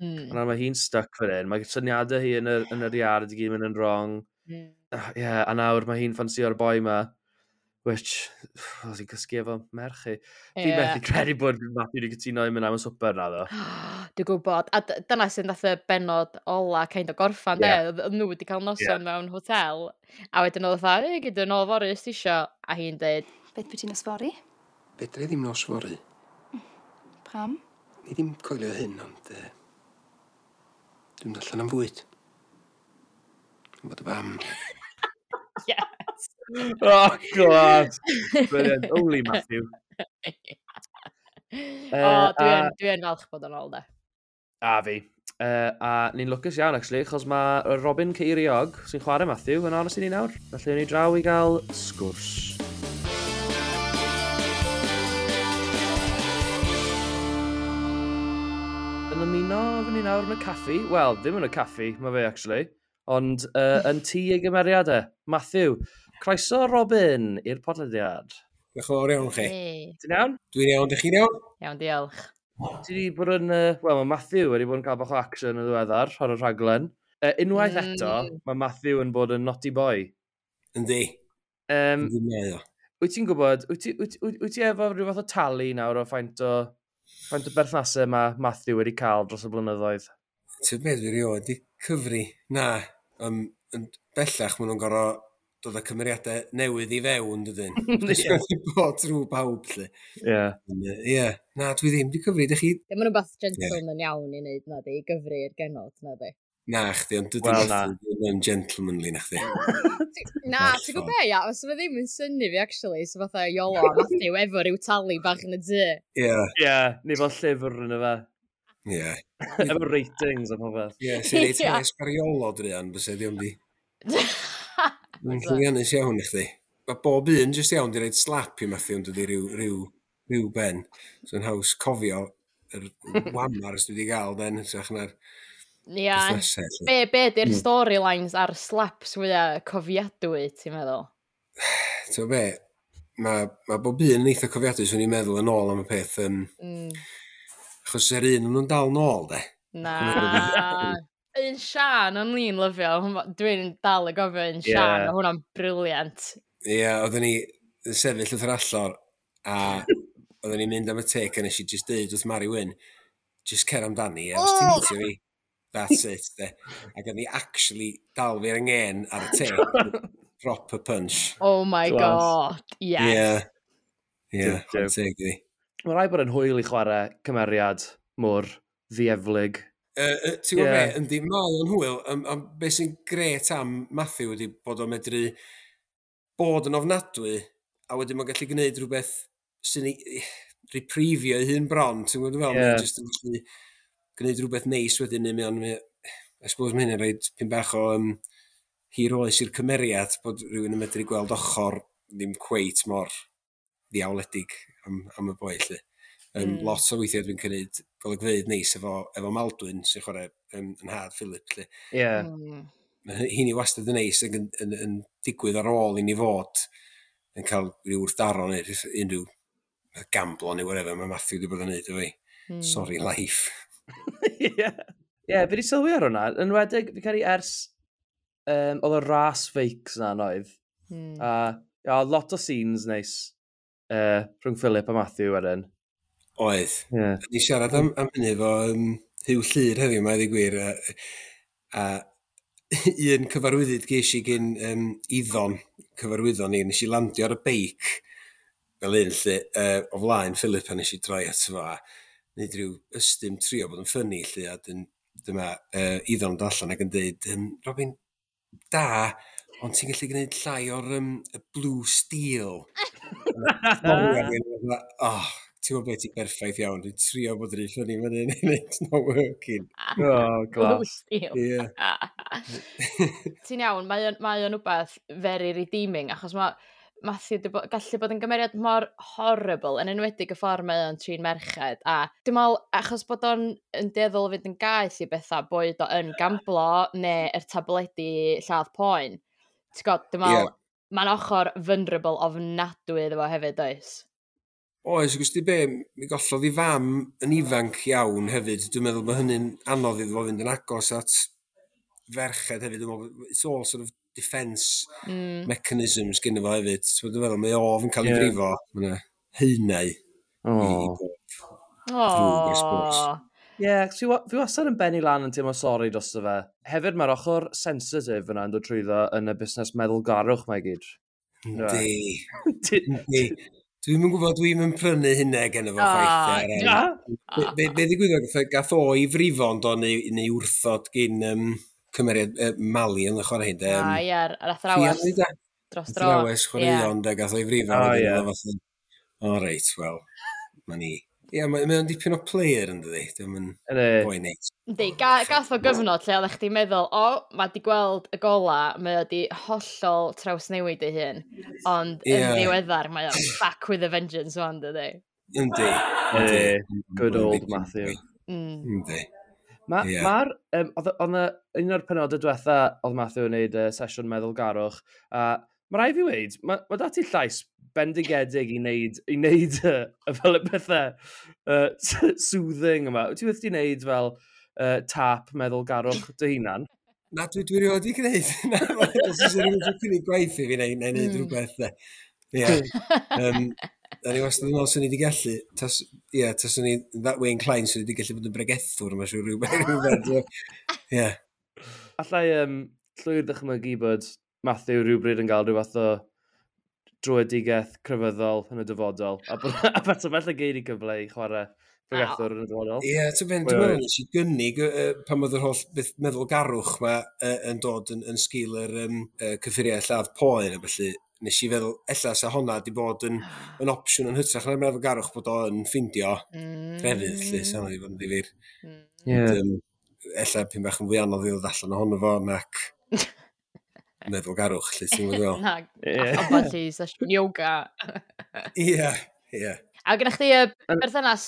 Mm. A nawr mae hi'n stuck fan hyn. Mae syniadau hi yn yr, yn yr iard i gyd mynd yn wrong. Mm. Uh, yeah, a nawr mae hi'n ffansio'r boi ma, which, oedd hi'n cysgu efo merch hi. Fi'n Ie. methu credu bod Matthew wedi cytuno i mynd am y swper na, ddo. Dwi'n gwybod. A d- dyna sy'n dath y benod ola kind of gorffan, Ie. de. Oedd oedd nhw wedi cael noson Ie. mewn hotel, a wedyn oedd fatha, ei, gyda nôl fory os ti isio, a hi'n deud, Beth byti nos fory? Fedra i ddim nos fory. Pam? Ni ddim coelio hyn, ond... Uh, dwi'n mynd allan am fwyd. Yn bod y fam. Yes. Oh, God. Brilliant. Only Matthew. O, Uh, dwi yn, a- dwi yn falch bod yn ôl, de. A fi. Uh, a ni'n lwcus iawn, actually, achos mae Robin Ceiriog, sy'n chwarae Matthew, yn aros i ni nawr. Felly, ni draw i gael sgwrs. Yn ymuno efo ni nawr yn y caffi. Wel, ddim yn y caffi, mae fe, actually. Ond uh, yn tŷ ei gymeriadau, Matthew. Croeso, Robin, i'r podlediad. Diolch yn fawr iawn chi. Hey. Ti'n iawn? Dwi'n iawn, dych chi'n iawn? Iawn, diolch. Ti wedi bod yn... Uh, Wel, mae Matthew wedi bod yn cael bach o action yn ddiweddar ar y rhaglen. Uh, unwaith Mm. eto, mae Matthew yn bod yn naughty boy. Yndi. Um, Yndi mae o. Wyt ti'n gwybod, wyt ti, wyt, wyt, wyt ti efo rhyw fath o tally nawr o faint o, faint o berthnasau mae Matthew wedi cael dros y blynyddoedd? Ti'n beth fi rioed di cyfri? Na, um, yn bellach maen nhw'n gorfod dod â cymeriadau newydd i fewn, dydyn. Ie. Ie. Bod trwy bawb, lle. Ie. Ie. Na, dwi ddim di cyfri. Dych chi... Dim yn rhywbeth gentleman iawn i wneud, na di, i gyfri'r genod, na di. Na, chdi, ond dydy Wel, na. Matthew ddim yn gentlemanly, na chdi. Na, ti'n gwybod be, ia, os fe ddim yn synnu fi, actually, so fatha Iolo a Matthew efo ryw tally bach yn y tŷ. Ie. Ie, neu fel llyfr yn y fe. Ie. Efo ratings a popeth. Ie, sy'n reit Ie. pres Iolo druan, fysa ddim di. Mae'n llwyddiannus iawn i chdi. Mae bob un jyst iawn di roid slap i Matthew yn dydi rhyw, rhyw, rhyw ben. So yn haws cofio yr whammer dwi wedi gael den, hytrach na'r Ia. berthnasau, lly. Be, be di'r Mm. storylines a'r slaps fwyaf cofiadwy, ti'n meddwl? Ti'n be, mae ma bob un yn eitha cofiadwy, swn i'n meddwl yn ôl am y peth, um, Mm. achos yr un yn nhw'n dal nôl, de. Na. Un Sian o'n i'n lyfio. hwnna- Dwi'n dal y gofio un Sian, Ie. yeah. Hwnna'n brilliant. Ie, yeah, oedden ni yn sefyll wrth yr allor, a oedden ni'n mynd am y take, a nes i just deud wrth Mari Wyn, just cer amdani, a os ti'n Oh! hitio fi, that's it, de. Ac oedd ni actually dal fi'r angen ar y take, proper punch. Oh my Class. God, yes. Ie, ie, Duw, duw. chwarae teg iddi. Mae rhaid bod yn hwyl i chwarae cymeriad mor ddieflig. Uh, uh, ti'n gwybod Ie. be, yndi, mae o'n hwyl, um, um, be sy'n gret am Matthew ydy bod o'n medru bod yn ofnadwy, a wedyn mae'n gallu gwneud rhywbeth sy'n ei reprifio ei hun bron, ti'n gwybod fel, Ie. yeah. Mae'n just yn gallu gwneud rhywbeth neis wedyn, neu mae o'n, mae- I suppose mae hynny'n rhaid pyn bach o um, hir oes i'r cymeriad, bod rhywun yn medru gweld ochr ddim cweit mor ddiawledig am, am y boi, lle. Um, Mm. mm. Lot o weithiau dwi'n cynnig golygfeydd neis efo, efo Maldwyn sy'n chwarae um, yn nhad Philip. Lle. Ie. Mm. Mae hynny wastad yn neis ac yn, yn, yn digwydd ar ôl i ni fod yn cael rhyw wrthdaro neu rhyw- unrhyw gamblo neu whatever mae Matthew wedi bod yn neud efo fi. Mm. Sorry life. Ie, Ie, fi wedi sylwi ar hwnna. Yn enwedig, fi credu ers um, oedd y ras fakes na oedd. Mm. A ia, lot o scenes neis uh, rhwng Philip a Matthew wedyn. Oedd. Ie. Ni siarad am, am hynny efo um, Huw Llyr heddiw, mae ddi gwir. A, a un cyfarwyddyd ges i gyn um, Iddon, cyfarwyddon ni, nes i landio ar y beic fel un lle, uh, o flaen Philip a nes i droi ato fo a wneud rhyw ystym trio bod yn funny lle, a dyn, dyma uh, Iddon yn dod allan ac yn dweud, um, Robin, da, ond ti'n gallu gwneud llai o'r um, y blue steel. Oh, ti'n gwybod beth, ti'n berffaith iawn. Dwi'n trio bod yn funny fan hyn, and it's not working. Oh, Blue class. steel. Ie. Ti'n iawn, mae o'n, mae o'n wbeth very redeeming, achos mae Matthew 'di bo, gallu bod yn gymeriad mor horrible, yn enwedig y ffordd mae o'n trin merched. A dwi'n meddwl, achos bod o'n yn dueddol o fynd yn gaeth i bethau, boed o yn gamblo neu yr tabledi lladd poen. Ti'n gwybod, dwi'n meddwl, Ie. mae'n ochr vulnerable ofnadwy iddo fo hefyd, oes? Oes, gwrs di be, mi gollodd i fam yn ifanc iawn hefyd. Dwi'n meddwl bod hynny'n anodd iddo fo fynd yn agos at ferched hefyd. Dwi'n meddwl, it's all sort of defence Mm. mechanisms gynno fo hefyd. Ti'n meddwl, mae ofn cael ei Ie. frifo. Mae yna haenau i, i Oh. bob drwg, I suppose. Oh. Ie, yeah, fi, wa- fi wastad yn bennu lan yn teimlo sori drosto fe. Hefyd mae'r ochr sensitif yna yn dod trwyddo yn y busnes meddylgarwch mae gyd. Yndi. Yndi. Dwi'm yn gwybod, dwi'm yn prynu hynna gen fo Ah, chwaith. Na? Be, be, be ddigwyddodd, gath, gath o i frifo ond o neu, neu wrthod gyn um, cymeriad uh, Mali yn y chwarae hyn. Ah, ie, yr athrawes Rhiannon, de? dros dro. Athrawes chwaraeon, de, gath o'i frifo. O, wedyn ie. oedd o fatha, O, reit, wel, ma ni. Ie, mae mae o'n dipyn o player yn dydi. Dim yn Yndi. boi neis. Yndi, ga, gath o gyfnod lle oeddech chdi'n meddwl, o, mae di gweld y gola, mae o di hollol trawsnewid ei hun. Ond yn Ie. ddiweddar, mae o back with a vengeance wan, dydi. Yndi. Yndi. Yndi. Good old Matthew. Mm. Yndi. Mae'r, Ie. ma um, oedd oedd 'na un o'r penodau diwetha oedd Matthew yn neud uh, sesiwn meddylgarwch, a mae rhaid fi weud, mae ma 'da ti llais bendigedig i wneud, i wneud uh, fel y pethau uh, soothing yma. Wyt ti wedi wneud fel uh, tap meddylgarwch dy hunan? Na, dwi, dwi rioed 'di gwneud. Na, os oes rhywun yn cynnig gwaith i fi neu, neu wneud mm. rhywbeth. Ie. Um, Da ni wastad yn meddwl swn i wedi gallu, tas, ie, taswn i that way inclined, swn i wedi gallu bod yn bregethwr, mae'n siŵr rhywbeth. Rhywbeth. Ie. Allai um, llwyr ddychmygu bod Matthew rhywbryd yn cael rhyw fath o dröedigaeth crefyddol yn y dyfodol. A bod a beth o felly gei di gyfle i chwarae pregethwr yn y dyfodol. Ie, ti'n ben, dwi'n meddwl nes i gynnig uh, pan oedd yr holl beth meddwlgarwch ma uh, yn dod yn, yn sgil yr um, uh, cyffuriau lladd poen a felly nes i feddwl, ella sa honna di bod yn, yn opsiwn yn hytrach na'r meddwlgarwch bod o'n ffindio mm. crefydd, lle, sa honna di bod yn ddifyr. Mm. Yeah. Ond, um, ella pyn bach yn fwy anodd i ddod allan ohono fo nac meddwlgarwch, lle ti'n gwybod? Na, ambell i sesiwn yoga. Ie, ie. A gyda chdi y berthynas,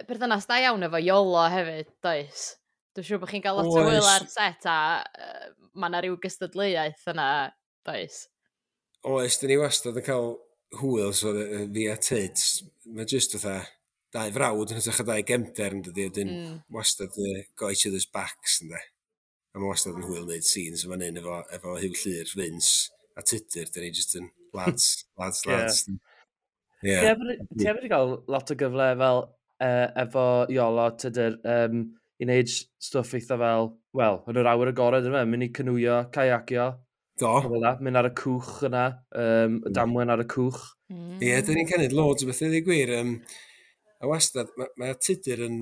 berthynas da iawn efo Iolo hefyd, does? Dwi'n siŵr bod chi'n cael lot o hwyl ar set a uh, mae yna rhyw gystadleuaeth yna, does? Oes, dyn ni wastad yn cael hwyl, so fi a Tyd, mae jyst fatha dau frawd yn hytrach o dau gefnder yn dydi, wedyn mm. wastad uh, got each other's backs, ynddo. A mae wastad yn hwyl wneud scenes yma hyn efo, efo Huw Llyr, Vince a Tudur, dyn ni jyst yn lads, lads, lads. Yeah. Yeah. Ti hefyd wedi cael lot o gyfle fel uh, efo Iolo, Tudur, um, i wneud stwff eitha fel, wel, yn yr awyr agored yma, mynd i canŵio, caiacio. Do. Fel mynd ar y cwch yna, um, y damwen ar y cwch. Ie, mm. yeah, dyn ni'n cynnig loads o bethau, i gwir. Um, a wastad, mae ma Tudur yn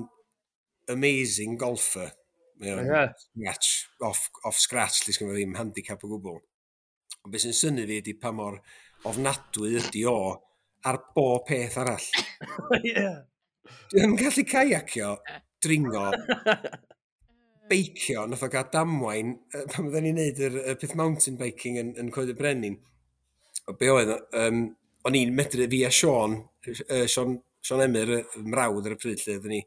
amazing golfer. Mae o'n yeah. scratch, off, off scratch, lle sgynno ddim handicap o gwbl. Ond beth sy'n synnu fi ydy pa mor ofnadwy ydy o ar bob peth arall. Yeah. Dwi'n gallu caiacio, dringo, beicio, nath o gael damwain, pan oedden ni'n neud yr, y peth mountain biking yn, yn Coed y Brenin. O be oedd, um, o'n i'n medru fi a Sean, uh, Sean, Sean Emyr, y mrawd ar y pryd lle, oedden ni,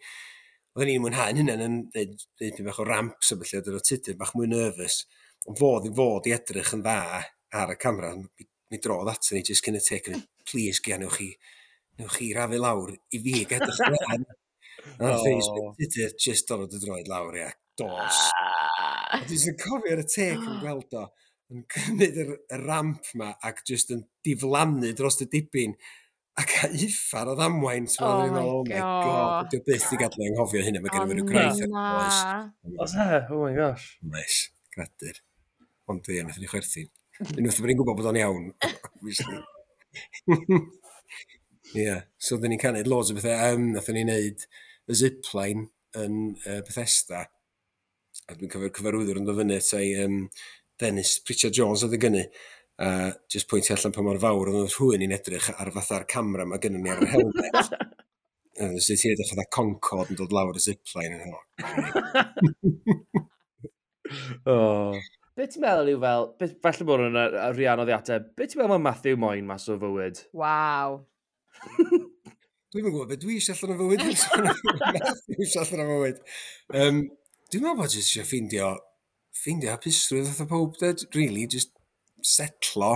oedden ni'n mwynhau'n hynny yn neud, neud pyn bach o ramps a felly, oedd o Tudur bach mwy nervous. Ond fod i fod i edrych yn dda ar y camera, mi, mi drodd ato ni just cyn y take, yn please, Gian, newch chi, newch chi rafu lawr i fi edrych yn dda. A nath oh. Tudur just dod y droed lawr, ia, dos. A dwi'n cofio ar y take yn gweld o, yn cymryd yr, y ramp ma ac just yn diflannu dros y dibyn ac a uffar o ddamwain. So oh, my oh my god, god. Dwi byth i gadw anghofio hynny, mae gen i fi ryw graith ar oes. Oes e? Oh my gosh. Nice, gradur. Ond ie, wnaethon ni chwerthin. Unwaith bod ni'n gwybod bod o'n iawn, obviously. Ie, yeah. So oedden ni'n canu loads o bethau. Um, nathon ni wneud y zipline yn uh, Bethesda. A dwi'n cofio'r cyfarwyddwr yn dod fyny at ei um, Dennis Pritchard Jones oedd y gynnu. A uh, just pwyntio allan pa mor fawr oedd rhywun i'n edrych ar fatha'r camera mae gynnu ni ar yr helmet. A sut ti'n edrych fatha Concorde yn dod lawr y zipline yn hwnna. Oh. Be ti'n meddwl yw fel, be, falle bod hwnna'n rhy anodd i ateb, be ti'n meddwl mae Matthew moyn mas o fywyd? Waw. Dwi'n yn gwybod beth dwi eisiau allan o fywyd. Matthew eisiau allan o fywyd. Um, dwi'n meddwl bod jyst eisiau ffeindio, ffeindio hapusrwydd fatha pob, de, really, just setlo,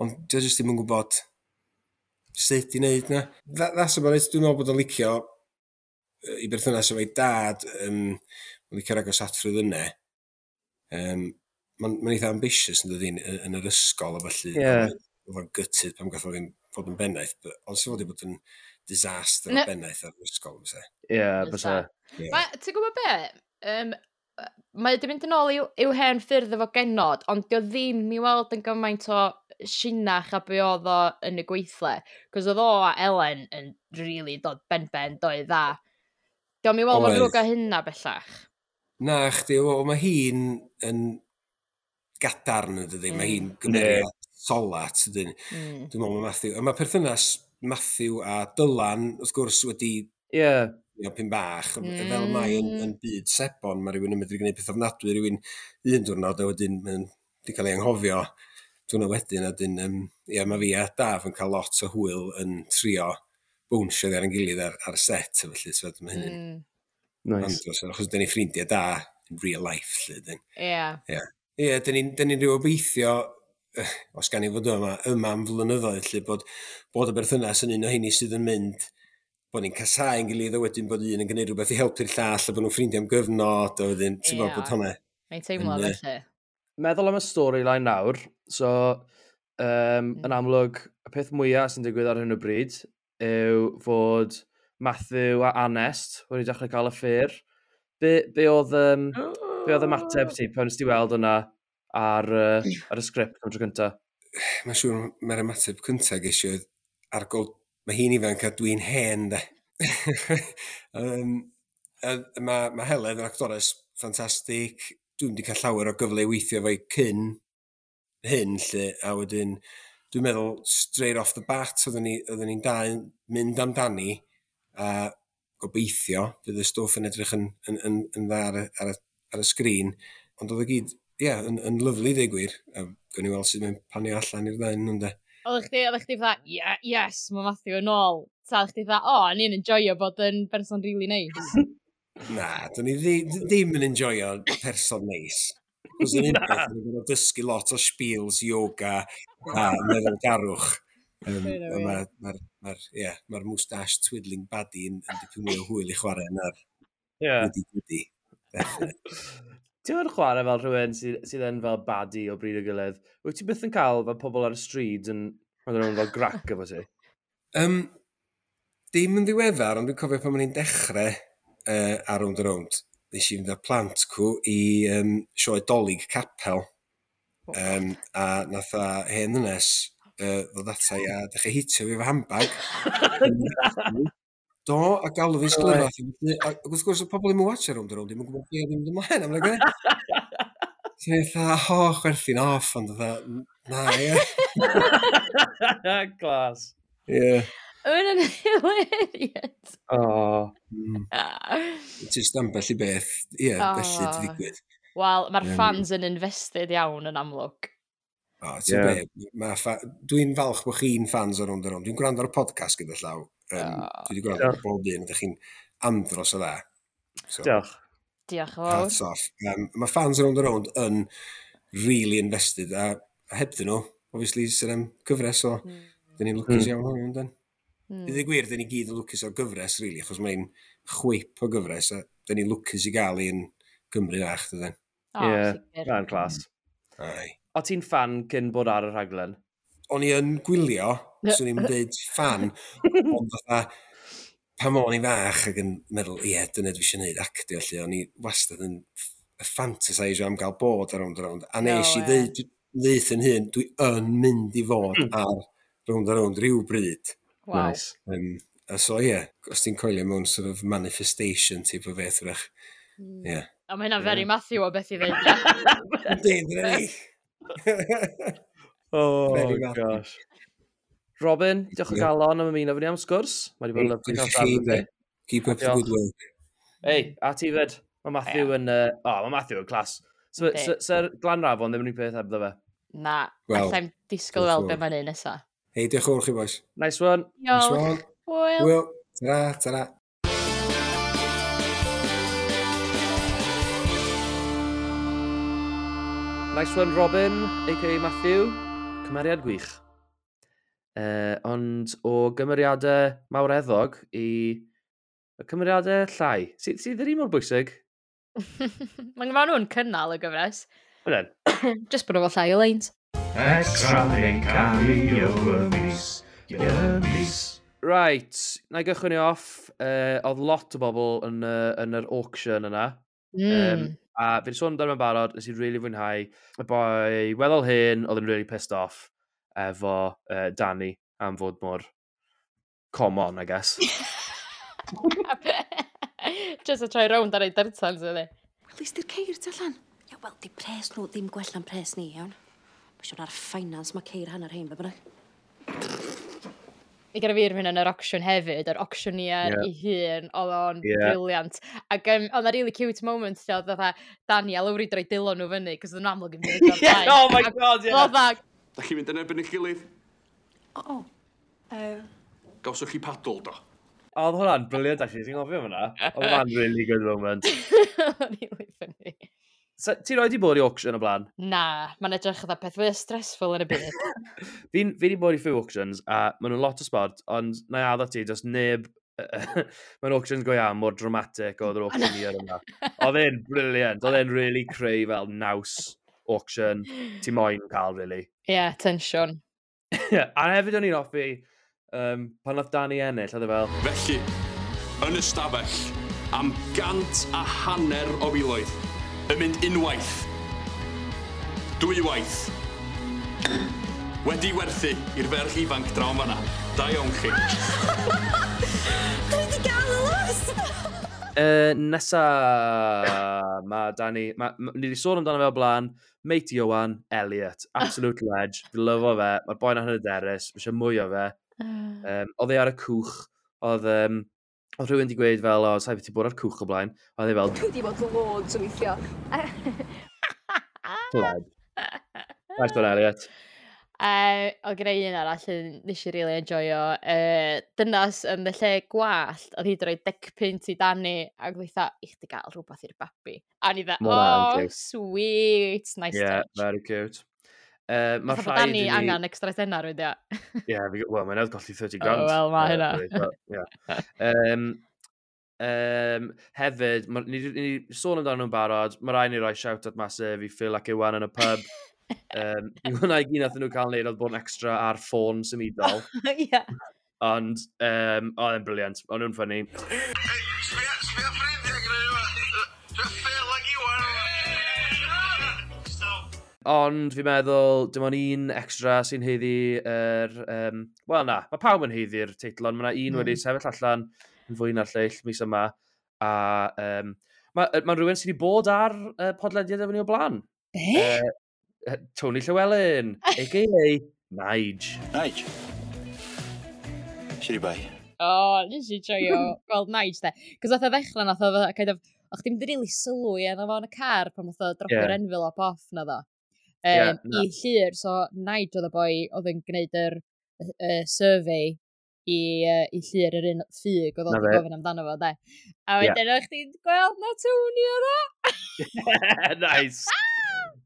ond dwi jyst ddim yn gwybod sut i wneud na. That, that's about it. Dwi'n meddwl bod o'n licio i berthynas efo'i dad, um, mae'n licio'r agosatrwydd yna. Um, Mae'n ma eitha ambitious yn dydi yn, yn yr ysgol a felly. Yeah. Oedd o'n gutted pan gath o ddim fod yn bennaeth, but, ond sy'n fod i bod yn disaster o Ne. bennaeth ar yr ysgol, fysa. Ie, yeah, bysa. Yeah. Ma, ti'n gwybod be? Um, mae wedi mynd yn ôl i'w, i'w hen ffyrdd efo genod, ond dio ddim i weld yn gymaint o sinach a be oedd o yn y gweithle. Cos oedd o a Ellen yn really dod ben-ben, doedd dda. Dio'm i weld mor Oedd. ddrwg â hynna bellach. Na, chdi, o, mae hi'n yn gadarn yn dydi, mae hi'n gymeriad solat, ydyn. Mm. Dwi'n meddwl mae Matthew, a mae perthynas Matthew a Dylan, wrth gwrs, wedi Ie. Yeah. you know, pyn bach, mm. fel mae yn, yn byd sebon, mae rhywun yn medru gwneud peth ofnadwy, rhywun un diwrnod, a wedyn mae'n wedi cael ei anghofio diwrnod wedyn, a wedyn, um, ie, mae fi a Daf yn cael lot o hwyl yn trio bownsio ar ein gilydd ar, ar set, a felly, so mae hynny'n Mm. Nice. andros, achos dyn ni ffrindiau da in real life, lle, dyn. Ie. Ie, Ie, dyn ni'n dyn ni'n rhyw obeithio, eh, os gan i fod yma, yma am flynyddoedd, lle bod, bod y berthynas yn un o heini sydd yn mynd, bod ni'n casau yn gilydd, a wedyn bod un yn gwneud rhywbeth i helpu'r llall, a bod nhw'n ffrindiau am gyfnod, a wedyn, ti'n gwybod Ie. bod hwnna Mae'n teimlo Yn, yy, felly. Meddwl am y storyline nawr, so um, mm. yn amlwg, y peth mwyaf sy'n digwydd ar hyn o bryd yw fod Matthew a Anest wedi dechrau cael affair. Be, be oedd, um, be oedd ymateb ti pan nes ti weld hwnna ar, uh, ar y sgript am tro cyntaf? Mae'n siŵr mae'r ymateb cyntaf ges i oedd argol, mae hi'n ifanc a dwi'n hen, de. um, mae ma Heledd yn actores ffantastig. Dwi'n wedi cael llawer o gyfle i weithio efo'i cyn hyn, lle, a wedyn dwi'n meddwl straight off the bat oedden ni, oedden ni'n dau mynd amdani a gobeithio fydd y stwff yn edrych yn, yn, yn, yn dda ar, y, ar, y, ar y sgrin, ond oedd o gyd, ie, yeah, yn, yn lyfli dweud gwir, a gawn ni weld sut mae'n panio allan i'r ddau nhw, ynde. Oeddech chdi, oeddech chdi fatha, yeah, yes, mae Matthew yn ôl. Ta, oeddech chdi fatha, o, oh, ni'n enjoyo bod yn person really nice. Na, dyn ni ddi- ddim yn enjoyo person neis. Cos yn un peth, ni'n gorfod dysgu lot o spiels, yoga a meddylgarwch. Um, Hynna a wir. Mae'r ma ma yeah, ma moustache twiddling baddie yn, yn dipyn mwy o hwyl i chwarae na'r Yeah. goody goody. Definitely. Ti'n mynd chwarae fel rhywun sydd, sydd yn fel baddie o bryd o gilydd? Wyt ti byth yn cael fel pobl ar y stryd yn rhoi nhw'n fel grac efo ti? Um, dim yn ddiweddar, ond dwi'n cofio pan o'n i'n dechrau uh, ar Rownd a Rownd. Nes i fynd â plant cw i um, sioe Dolig Capel. Um, a nath a hen ddynes uh, ddod ata i a dechrau hitio fi efo handbag. Do, a galw fi'n sglyfath. A wrth gwrs, y pobl ddim yn watch ar Rownd a Rownd, ddim yn gwybod beth ddim yn ymlaen. I'm like, eh? So i'n fatha, o, chwerthin off, ond fatha, na, ie. Class. Ie. Mae'n yn hilarious. Oh. Mm. Just ambell i beth, ie, Oh. felly di ddigwydd. Wel, mae'r Yym. fans yn invested iawn yn amlwg. O, ti'n Ie. be, ma ffa... Dwi'n falch bod chi'n fans o Rownd a Rownd. Dwi'n gwrando ar y podcast gyda llaw. Um, dwi wedi gwrando ar bob un, ydych chi'n andros o dda. So, Diolch. Diolch yn fawr. Hats off. Um, mae fans o Rownd a Rownd yn really invested, a, a hebddyn nhw, obviously, sy'n am gyfres, so mm. dyn ni'n lwcus Mm. iawn hwn, yndyn. Mm. I ddweud gwir, dyn ni gyd yn lwcus o'r gyfres, really, achos mae'n chwip o gyfres, a dyn ni'n lwcus i gael un Gymru fach, dydyn. O, Ie, sicr. Na'n class. Ai. O ti'n fan cyn bod ar y rhaglen? O'n i yn gwylio, swn i'n dweud fan, ond fatha, pan o'n i fach ac yn meddwl, ie, dyna dwi eisiau gwneud actio, lle, o'n i wastad yn ffantasisio am gael bod ar Rownd a Rownd. A nes No i way. ddeud, ddeud yn hun, dwi yn mynd i fod ar Rownd a Rownd rhyw bryd. Waw. Nice. Um, a so ie, os ti'n coelio mewn sort of manifestation type o beth, wrach. Ie. A mae hynna'n very Matthew o beth i ddeud. ie. Yndi, dyna ni. Oh, Very Matthew. gosh. Robin, diolch o Ie. galon am ymuno fy ni am sgwrs. Mae wedi bod yn lyfli cael Diolch i siarad chi, efo de. ti. Keep up the Diolch. good work. Ei, a ti fyd. Mae Matthew yn... Uh, oh, mae Matthew yn class. So, Yndi. so, Sir Glanrafon ddim yn un peth hebddo fe. Na, Wel, allai'm disgwyl diolch weld yn be fawr. mae'n neud nesa. Hei, diolch yn fawr chi, boys. Nice one. Nice Diolch. one. Hwyl. Hwyl. Tara, tara. Nice one, Robin, a.k.a. Matthew. Cymeriad gwych. Uh, ond o gymeriadau mawreddog i y cymeriadau llai. Sydd sy ddim mor bwysig. Mae ma nhw'n cynnal y gyfres. Wedyn. Just bod nhw fel llai o lines. Extra neu cameo y mis, y mis. Right, na i gychwyn ni off. Uh, oedd lot o bobl yn, uh, yn yr auction yna. Mm. Um, a fi wedi sôn amdano fe'n barod, nes i really fwynhau. Y boi weddol hyn, oedd yn really pissed off efo uh, Danny am fod mor common, I guess. Just a troi rownd ar ei dyrtans ydy. Wel, di'r ceir tu allan. Ia, wel, di pres nhw ddim gwell na'n pres ni, iawn. Mae siŵr ar finance mae ceir hanner hein, be bynnag. Mi gyda fi rhywun yn yr auction hefyd, yr auctioneer Ie. ei hun, oedd o'n Ie. brilliant. Ac um, oedd 'na really cute moment lle oedd fatha Danny a Lowry droi dilo nhw fyny, cos oedd nhw'n amlwg yn mynd o'r Yeah, blaen. oh my Ac God, yeah. Oedd fatha, Da chi'n mynd yn erbyn eich gilydd? O. Uh, Gawsoch chi padl, do? Oedd hwnna'n brilliant, actually, ti'n gofio hwnna? Oedd hwnna'n really good moment. really funny. So, ti roi di bod i auction o blaen? Na, mae'n edrych fatha peth fwy stressful yn y byd. Fi'n fi di bod i few auctions, a maen nhw'n lot o sport, ond na i addo ti, does neb mae'n auctions go iawn mor dramatic oedd yr auctioneer yma. Oedd e'n brilliant, oedd e'n really creu fel naws auction ti moyn cael, really. Ie, yeah, tensiwn. Yeah, a hefyd o'n i'n hoffi, um, pan nath Danny ennill, oedd e fel, Felly, yn y stafell, am gant a hanner o filoedd, yn mynd unwaith, dwywaith, wedi werthu i'r ferch ifanc draw yn fanna. Da iawn chi. Dwi wedi gael y los! Uh, nesa, mae Danny, ma, ma, ni wedi sôn amdano fe o blaen, mate Iwan, Elliot, absolute ledge, fi lyfo fe, mae'r boi 'na'n hyderus, mae eisiau mwy o fe. Um, oedd e ar y cwch, oedd, um, oedd rhywun wedi gweud fel, o, sa'i beth ti bod ar cwch o blaen, oedd e fel, Dwi wedi bod loads o weithio. Pleb. Nice one, Elliot. Uh, oedd gyda un arall yn nes i really enjoyo. Uh, dynas yn y lle gwallt, oedd hi wedi rhoi deg punt i Danny, ac oedd hi i chdi gael rhywbeth i'r babi. A ni dda, Ma' hwnna'n oh, cute. Sweet, nice Yeah, touch. Very cute. Uh, mae Fatha bod rhaid Danny i ni angen extra tenner wedi. Yeah, fi- wel, mae'n newydd golli thirty grand. Oh, wel, ma' Uh, hynna. really, but, yeah. Um, um, hefyd, ma, ni, ni, ni sôn amdano nhw'n barod, mae rhaid ni roi shout-out massive i Phil ac Iwan yn y pub. um, I hwnna i gyd nath nhw cael wneud oedd bod yn extra ar ffôn symudol. Ie. Ond, um, oedd e'n brilliant. O'n nhw'n funny. Sbia, sbia ffrindiau gyda ni yma. Phil ac Iwan. Ond fi'n meddwl, dim ond un extra sy'n haeddu yr... Um, Wel na, mae pawb yn haeddu'r teitl, ond mae yna un Mm. wedi sefyll allan yn fwy na'r lleill mis yma. A um, mae ma rhywun sydd wedi bod ar uh, podlediad efo ni o blaen. Be? Uh, Tony Llewellyn, A K A. Nige. Nige. Shwd i bai. O, nes i joio gweld Nige, de. Cos nath o ddechrau, nath o fatha kind of, o'ch ti'n mynd rili sylwi arno fo yn y car pan nath o dropio'r Ie. envelope off na ddo. Ie, Um, na. I Llyr, so Nige oedd y boi oedd yn gwneud yr uh, survey i, uh, i Llyr, yr un ffug oedd Na o'n fe. gofyn amdano fo, de. A Ie. wedyn o'ch ti'n gweld na Tony oedd o? Nice.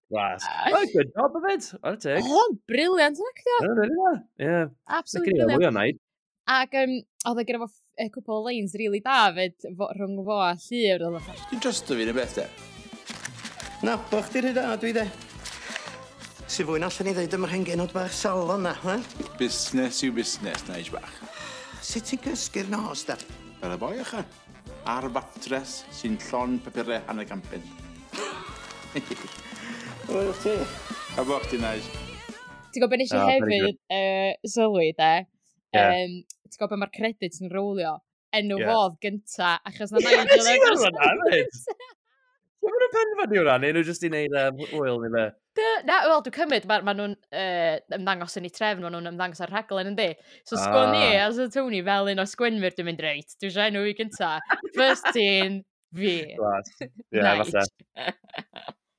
Class. Oh, good job of it. Ar y teg. Oedd o'n brilliant yn actio. Yeah, really well. Yeah. Absolutely Licen i brilliant. mwy o Nige. Ac um, oedd e gyda fo ff- a cwpl o lines really da fyd fo, rhwng fo a Llyr. Oedd o fatha, Ti'n trysto fi neu beth de? Na, bo chdi rhy da, dwi de. Sy fwy na allan i ddeud am yr hen genod bach salon na, he? Busnes yw busnes, Nige bach. Sut ti'n cysgu'r nos, da? Fel y boi ycha. Ar fatres sy'n llon papurau hanner can punt. Wel, ti. A bo chdi, Nige. Ti'n gwybod beth nes i Oh, very hefyd uh, sylwi, de? Ie. Um, ti'n gwybod beth mae'r credits yn rolio? Enw Ie. yeah. fodd gynta, achos na Ie, Nigel nes i efo'r weld hwnna hefyd. Ti'n mynd yn penderfynu hwnna, neu nhw jyst i wneud um, hwyl neu be? Dy- Na, wel, dwi'n cymryd, mae ma nhw'n uh, ymddangos yn eu trefn, ma nhw'n ymddangos ar rhaglen, yndi? So, sgwn i, Ah. as a Tony, fel un o sgwenwyr, dwi'n mynd, reit, dwi eisiau enw i gynta. First in, fi. Class. Ie, Nige. falle.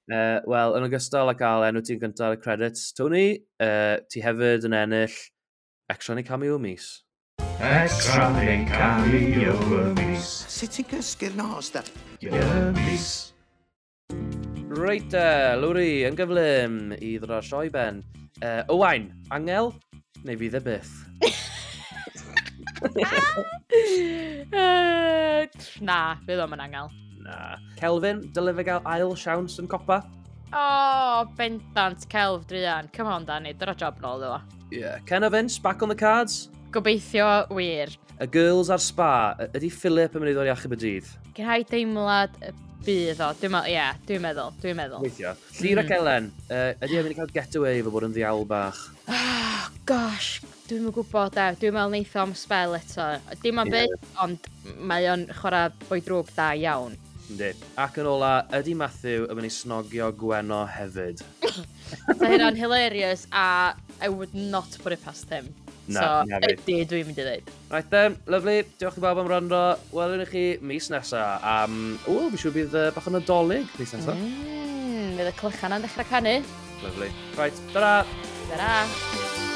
Uh, Wel, yn ogystal â gael enw ti'n gyntaf ar y credits, Tony, uh, ti hefyd yn ennill extra neu cameo mis. Extra neu cameo y mis. Sut ti'n cysgu'r nos, da? Y mis. Reit e, Lowri, yn gyflym i ddod â'r sioe ben. Uh, Owain, angel neu fydd e byth? Uh, na, fydd o'm yn angel. Na. Kelvin, dyle fe gael ail siawns yn copa? O, oh, bendant, Kelv druan. Come on, Danny, dyna job nôl iddo fo. Yeah. Ken a Vince, back on the cards? Gobeithio wir. Y girls ar spa, y- ydy Philip yn mynd i ddod i achub y dydd? Gen i deimlad y bydd o. Dwi'n meddwl, ie, dwi'n meddwl, dwi'n meddwl. Weithio. Llyr ac Mm. Elen, uh, ydy e'n mynd i cael getaway efo bod yn ddiawl bach? Oh, gosh, dwi'n yn gwybod de. Dwi'n meddwl neith o am spell eto. Dim am Ie. byth, ond mae o'n chwarae boi drwg da iawn. Yndi. Ac yn ola, ydy Matthew yn mynd i snogio Gwenno hefyd? So hynna'n hilarious a I would not put it past him. Na, So, na fi. ydy, dwi'n mynd i ddweud. Right then, lovely. Diolch i bawb am wrando. Welwn i chi mis nesa am... O, fi siŵr bydd uh, bach o Nadolig mis nesa. Mm, fydd y clychan yn dechrau canu. Lovely. Right, ta-ra! Ta-ra!